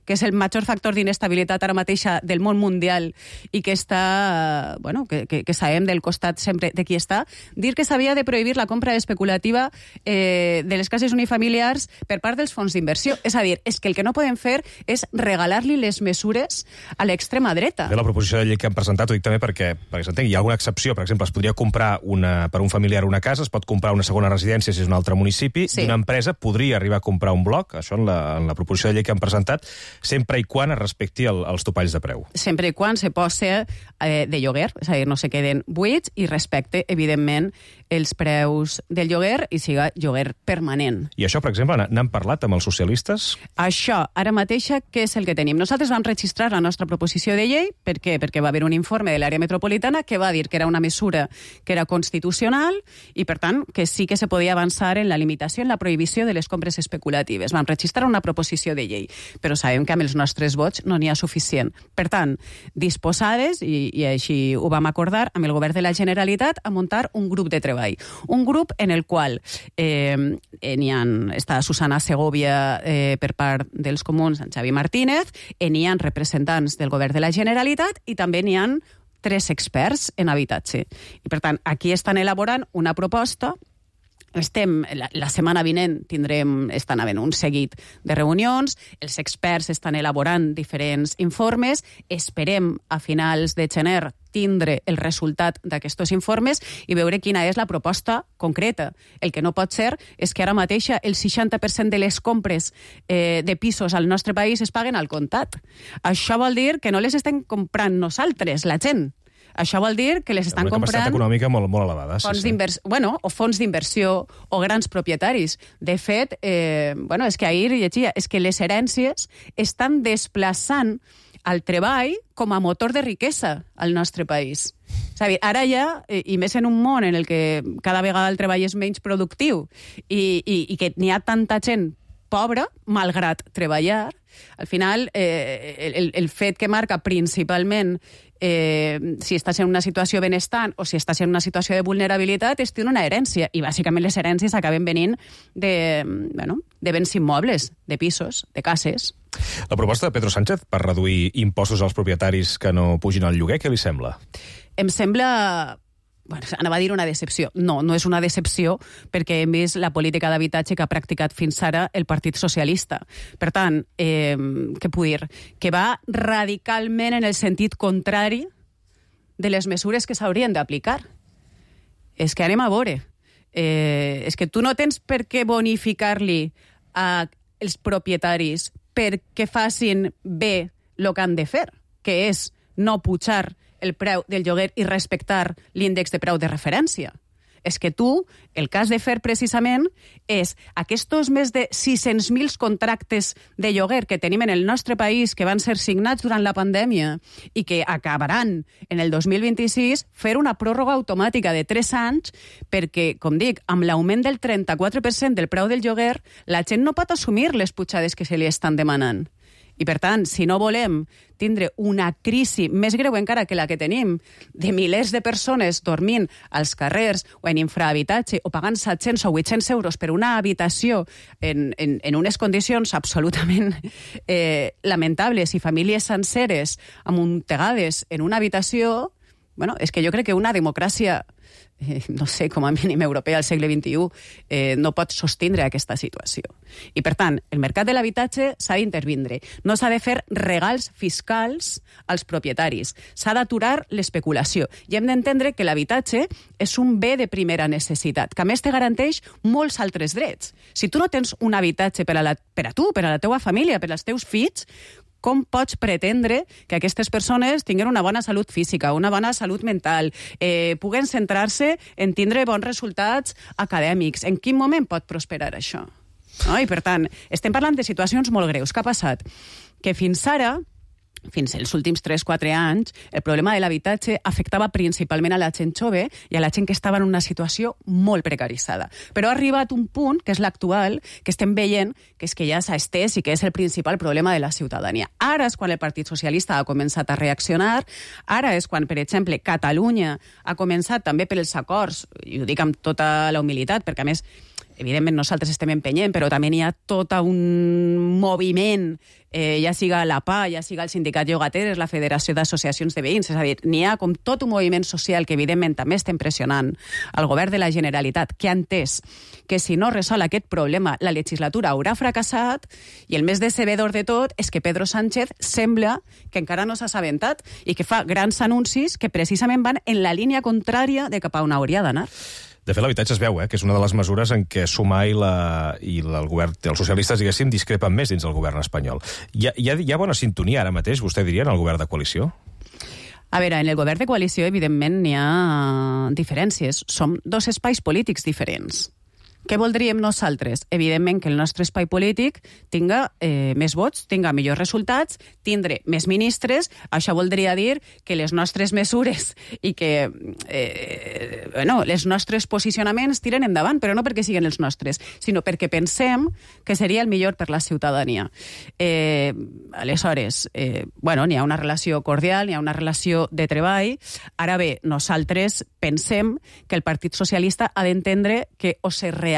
que és el major factor d'inestabilitat ara mateixa del món mundial i que està, bueno, que, que, que sabem del costat sempre de qui està, dir que s'havia de prohibir la compra especulativa eh, de les cases unifamiliars per part dels fons d'inversió. És a dir, és que el que no podem fer és regalar-li les mesures a l'extrema dreta. De la proposició de llei que han presentat, ho dic també perquè, perquè s'entengui, hi ha alguna excepció. Per exemple, es podria comprar una, per un familiar una casa, es pot comprar una segona residència si és un altre municipi, sí. I una empresa podria arribar a comprar un bloc, això en la, en la proposició de llei que han presentat, sempre i quan es respecti el, els topalls de preu. Sempre i quan se posa eh, de lloguer, és a dir, no se queden buits i respecte, evidentment, els preus del lloguer i siga lloguer permanent. I això, per exemple, n'han parlat amb els socialistes? Això, ara mateixa, què és el que tenim? Nosaltres vam registrar la nostra proposició de llei, per què? Perquè va haver un informe de l'àrea metropolitana que va dir que era una mesura que era constitucional i, per tant, que sí que se podia avançar en la limitació, en la prohibició de les compres especulatives. Vam registrar una proposició de llei, però sabem que amb els nostres vots no n'hi ha suficient. Per tant, disposades, i, i així ho vam acordar amb el govern de la Generalitat, a muntar un grup de treball. Un grup en el qual eh, n'hi ha, està Susana Segovia eh, per part dels comuns, en Xavi Martínez, n'hi ha representants del govern de la Generalitat i també n'hi ha tres experts en habitatge. I, per tant, aquí estan elaborant una proposta. Estem, la, la setmana vinent tindrem, estan havent un seguit de reunions, els experts estan elaborant diferents informes, esperem a finals de gener tindre el resultat d'aquests informes i veure quina és la proposta concreta. El que no pot ser és que ara mateixa el seixanta per cent de les compres eh, de pisos al nostre país es paguen al comptat. Això vol dir que no les estem comprant nosaltres, la gent. Això vol dir que les estan comprant... Una capacitat econòmica molt, molt elevada. Fons sí, sí. Bueno, o fons d'inversió o grans propietaris. De fet, eh, bueno, és que ahir llegia, és que les herències estan desplaçant el treball com a motor de riquesa al nostre país. És a dir, ara ja, i més en un món en el que cada vegada el treball és menys productiu i, i, i que n'hi ha tanta gent pobra, malgrat treballar, al final eh, el, el fet que marca principalment eh, si estàs en una situació benestant o si estàs en una situació de vulnerabilitat és una herència, i bàsicament les herències acaben venint de, bueno, de béns immobles, de pisos, de cases. La proposta de Pedro Sánchez per reduir impostos als propietaris que no pugin al lloguer, què li sembla? Em sembla... Bueno, anava a dir una decepció. No, no és una decepció perquè hem vist la política d'habitatge que ha practicat fins ara el Partit Socialista. Per tant, eh, què puc dir? Que va radicalment en el sentit contrari de les mesures que s'haurien d'aplicar. És que anem a veure. Eh, és que tu no tens per què bonificar-li als propietaris perquè facin bé el que han de fer, que és no pujar el preu del lloguer i respectar l'índex de preu de referència. És que tu, el que has de fer precisament és aquests més de sis-cents mil contractes de lloguer que tenim en el nostre país que van ser signats durant la pandèmia i que acabaran en el dos mil vint-i-sis, fer una pròrroga automàtica de tres anys perquè, com dic, amb l'augment del trenta-quatre per cent del preu del lloguer, la gent no pot assumir les pujades que se li estan demanant. I, per tant, si no volem tindre una crisi més greu encara que la que tenim, de milers de persones dormint als carrers o en infrahabitatge o pagant set-cents o vuit-cents euros per una habitació en, en, en unes condicions absolutament eh, lamentables i famílies senceres amuntegades en una habitació, bueno, és que jo crec que una democràcia Eh, no sé, com a mínim europea al segle vint-i-u, eh, no pot sostindre aquesta situació. I, per tant, el mercat de l'habitatge s'ha d'intervindre. No s'ha de fer regals fiscals als propietaris. S'ha d'aturar l'especulació. I hem d'entendre que l'habitatge és un bé de primera necessitat, que a més te garanteix molts altres drets. Si tu no tens un habitatge per a, la, per a tu, per a la teua família, per als teus fills, com pots pretendre que aquestes persones tinguin una bona salut física, una bona salut mental, eh, puguen centrar-se en tindre bons resultats acadèmics? En quin moment pot prosperar això? No? I, per tant, estem parlant de situacions molt greus. Què ha passat? Que fins ara, fins als últims tres o quatre anys, el problema de l'habitatge afectava principalment a la gent jove i a la gent que estava en una situació molt precaritzada. Però ha arribat un punt, que és l'actual, que estem veient que és que ja s'ha estès i que és el principal problema de la ciutadania. Ara és quan el Partit Socialista ha començat a reaccionar, ara és quan, per exemple, Catalunya ha començat també per els acords, i ho dic amb tota la humilitat, perquè a més evidentment nosaltres estem empenyent, però també hi ha tot un moviment, eh, ja siga la P A, ja siga el Sindicat Llogateres, la Federació d'Associacions de Veïns, és a dir, n'hi ha com tot un moviment social que evidentment també estem pressionant al govern de la Generalitat, que ha entès que si no resol aquest problema la legislatura haurà fracassat, i el més decebedor de tot és que Pedro Sánchez sembla que encara no s'ha assabentat i que fa grans anuncis que precisament van en la línia contrària de cap a on hauria d'anar. De fet, l'habitatge es veu, eh, que és una de les mesures en què Sumar i, la, i la, el govern, els socialistes, diguéssim, discrepen més dins del govern espanyol. Hi ha, hi ha, hi ha bona sintonia ara mateix, vostè diria, en el govern de coalició? A veure, en el govern de coalició, evidentment, n'hi ha diferències. Som dos espais polítics diferents. Què voldríem nosaltres? Evidentment que el nostre espai polític tinga eh, més vots, tinga millors resultats, tindre més ministres. Això voldria dir que les nostres mesures i que eh, bueno, els nostres posicionaments tiren endavant, però no perquè siguin els nostres, sinó perquè pensem que seria el millor per la ciutadania. Eh, aleshores, eh, bueno, n'hi ha una relació cordial, n'hi ha una relació de treball. Ara bé, nosaltres pensem que el Partit Socialista ha d'entendre que o se reactiva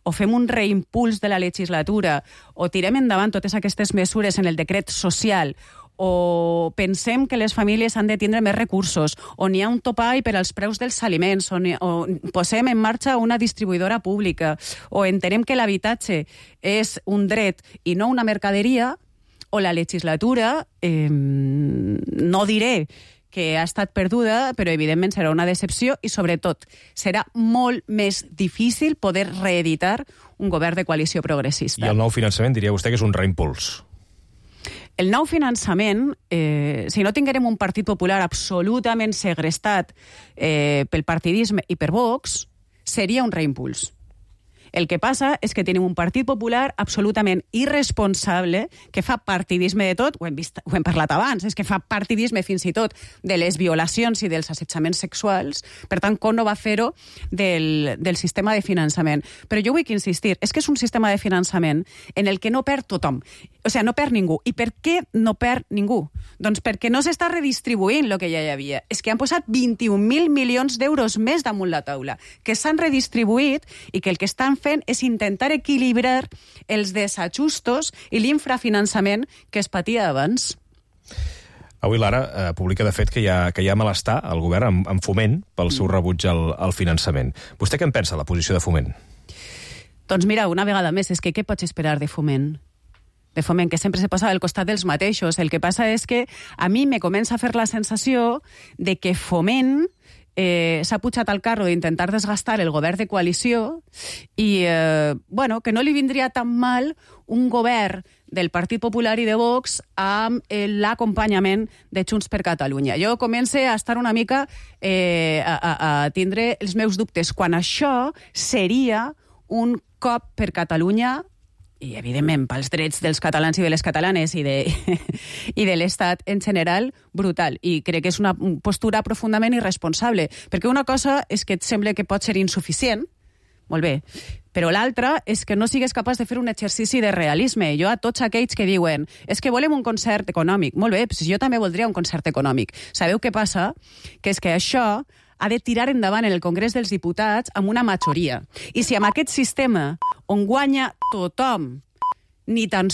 o fem un reimpuls de la legislatura o tirem endavant totes aquestes mesures en el decret social o pensem que les famílies han de tindre més recursos o n'hi ha un topall per als preus dels aliments o, o posem en marxa una distribuïdora pública o entenem que l'habitatge és un dret i no una mercaderia, o la legislatura, eh, no diré que ha estat perduda, però evidentment serà una decepció i, sobretot, serà molt més difícil poder reeditar un govern de coalició progressista. I el nou finançament diria vostè que és un reimpuls? El nou finançament, eh, si no tinguérem un Partit Popular absolutament segrestat eh, pel partidisme i per Vox, seria un reimpuls. El que passa és que tenim un Partit Popular absolutament irresponsable, que fa partidisme de tot, ho hem, vist, ho hem parlat abans, és que fa partidisme fins i tot de les violacions i dels assetjaments sexuals, per tant, com no va fer-ho del, del sistema de finançament. Però jo vull insistir, és que és un sistema de finançament en el que no perd tothom, o sigui, no perd ningú. I per què no perd ningú? Doncs perquè no s'està redistribuint el que ja hi havia. És que han posat vint-i-un mil milions d'euros més damunt la taula, que s'han redistribuït i que el que estan fent és intentar equilibrar els desajustos i l'infrafinançament que es patia abans. Avui l'Ara eh, publica, de fet, que hi ha, que hi ha malestar al govern amb, amb Foment pel seu rebuig al, al finançament. Vostè què en pensa, la posició de Foment? Doncs mira, una vegada més, és que què pots esperar de Foment? De Foment, que sempre se posa al costat dels mateixos. El que passa és que a mi me comença a fer la sensació de que Foment eh, s'ha pujat al carro d'intentar desgastar el govern de coalició i, eh, bueno, que no li vindria tan mal un govern del Partit Popular i de Vox amb eh, l'acompanyament de Junts per Catalunya. Jo començo a estar una mica eh, a, a, a tindre els meus dubtes, quan això seria un cop per Catalunya i, evidentment, pels drets dels catalans i de les catalanes i de, i de l'Estat en general, brutal. I crec que és una postura profundament irresponsable, perquè una cosa és que et sembla que pot ser insuficient, molt bé, però l'altra és que no sigues capaç de fer un exercici de realisme. Jo a tots aquells que diuen és que volem un concert econòmic, molt bé, doncs jo també voldria un concert econòmic. Sabeu què passa? Que és que això ha de tirar endavant en el Congrés dels Diputats amb una majoria. I si amb aquest sistema on guanya tothom ni tan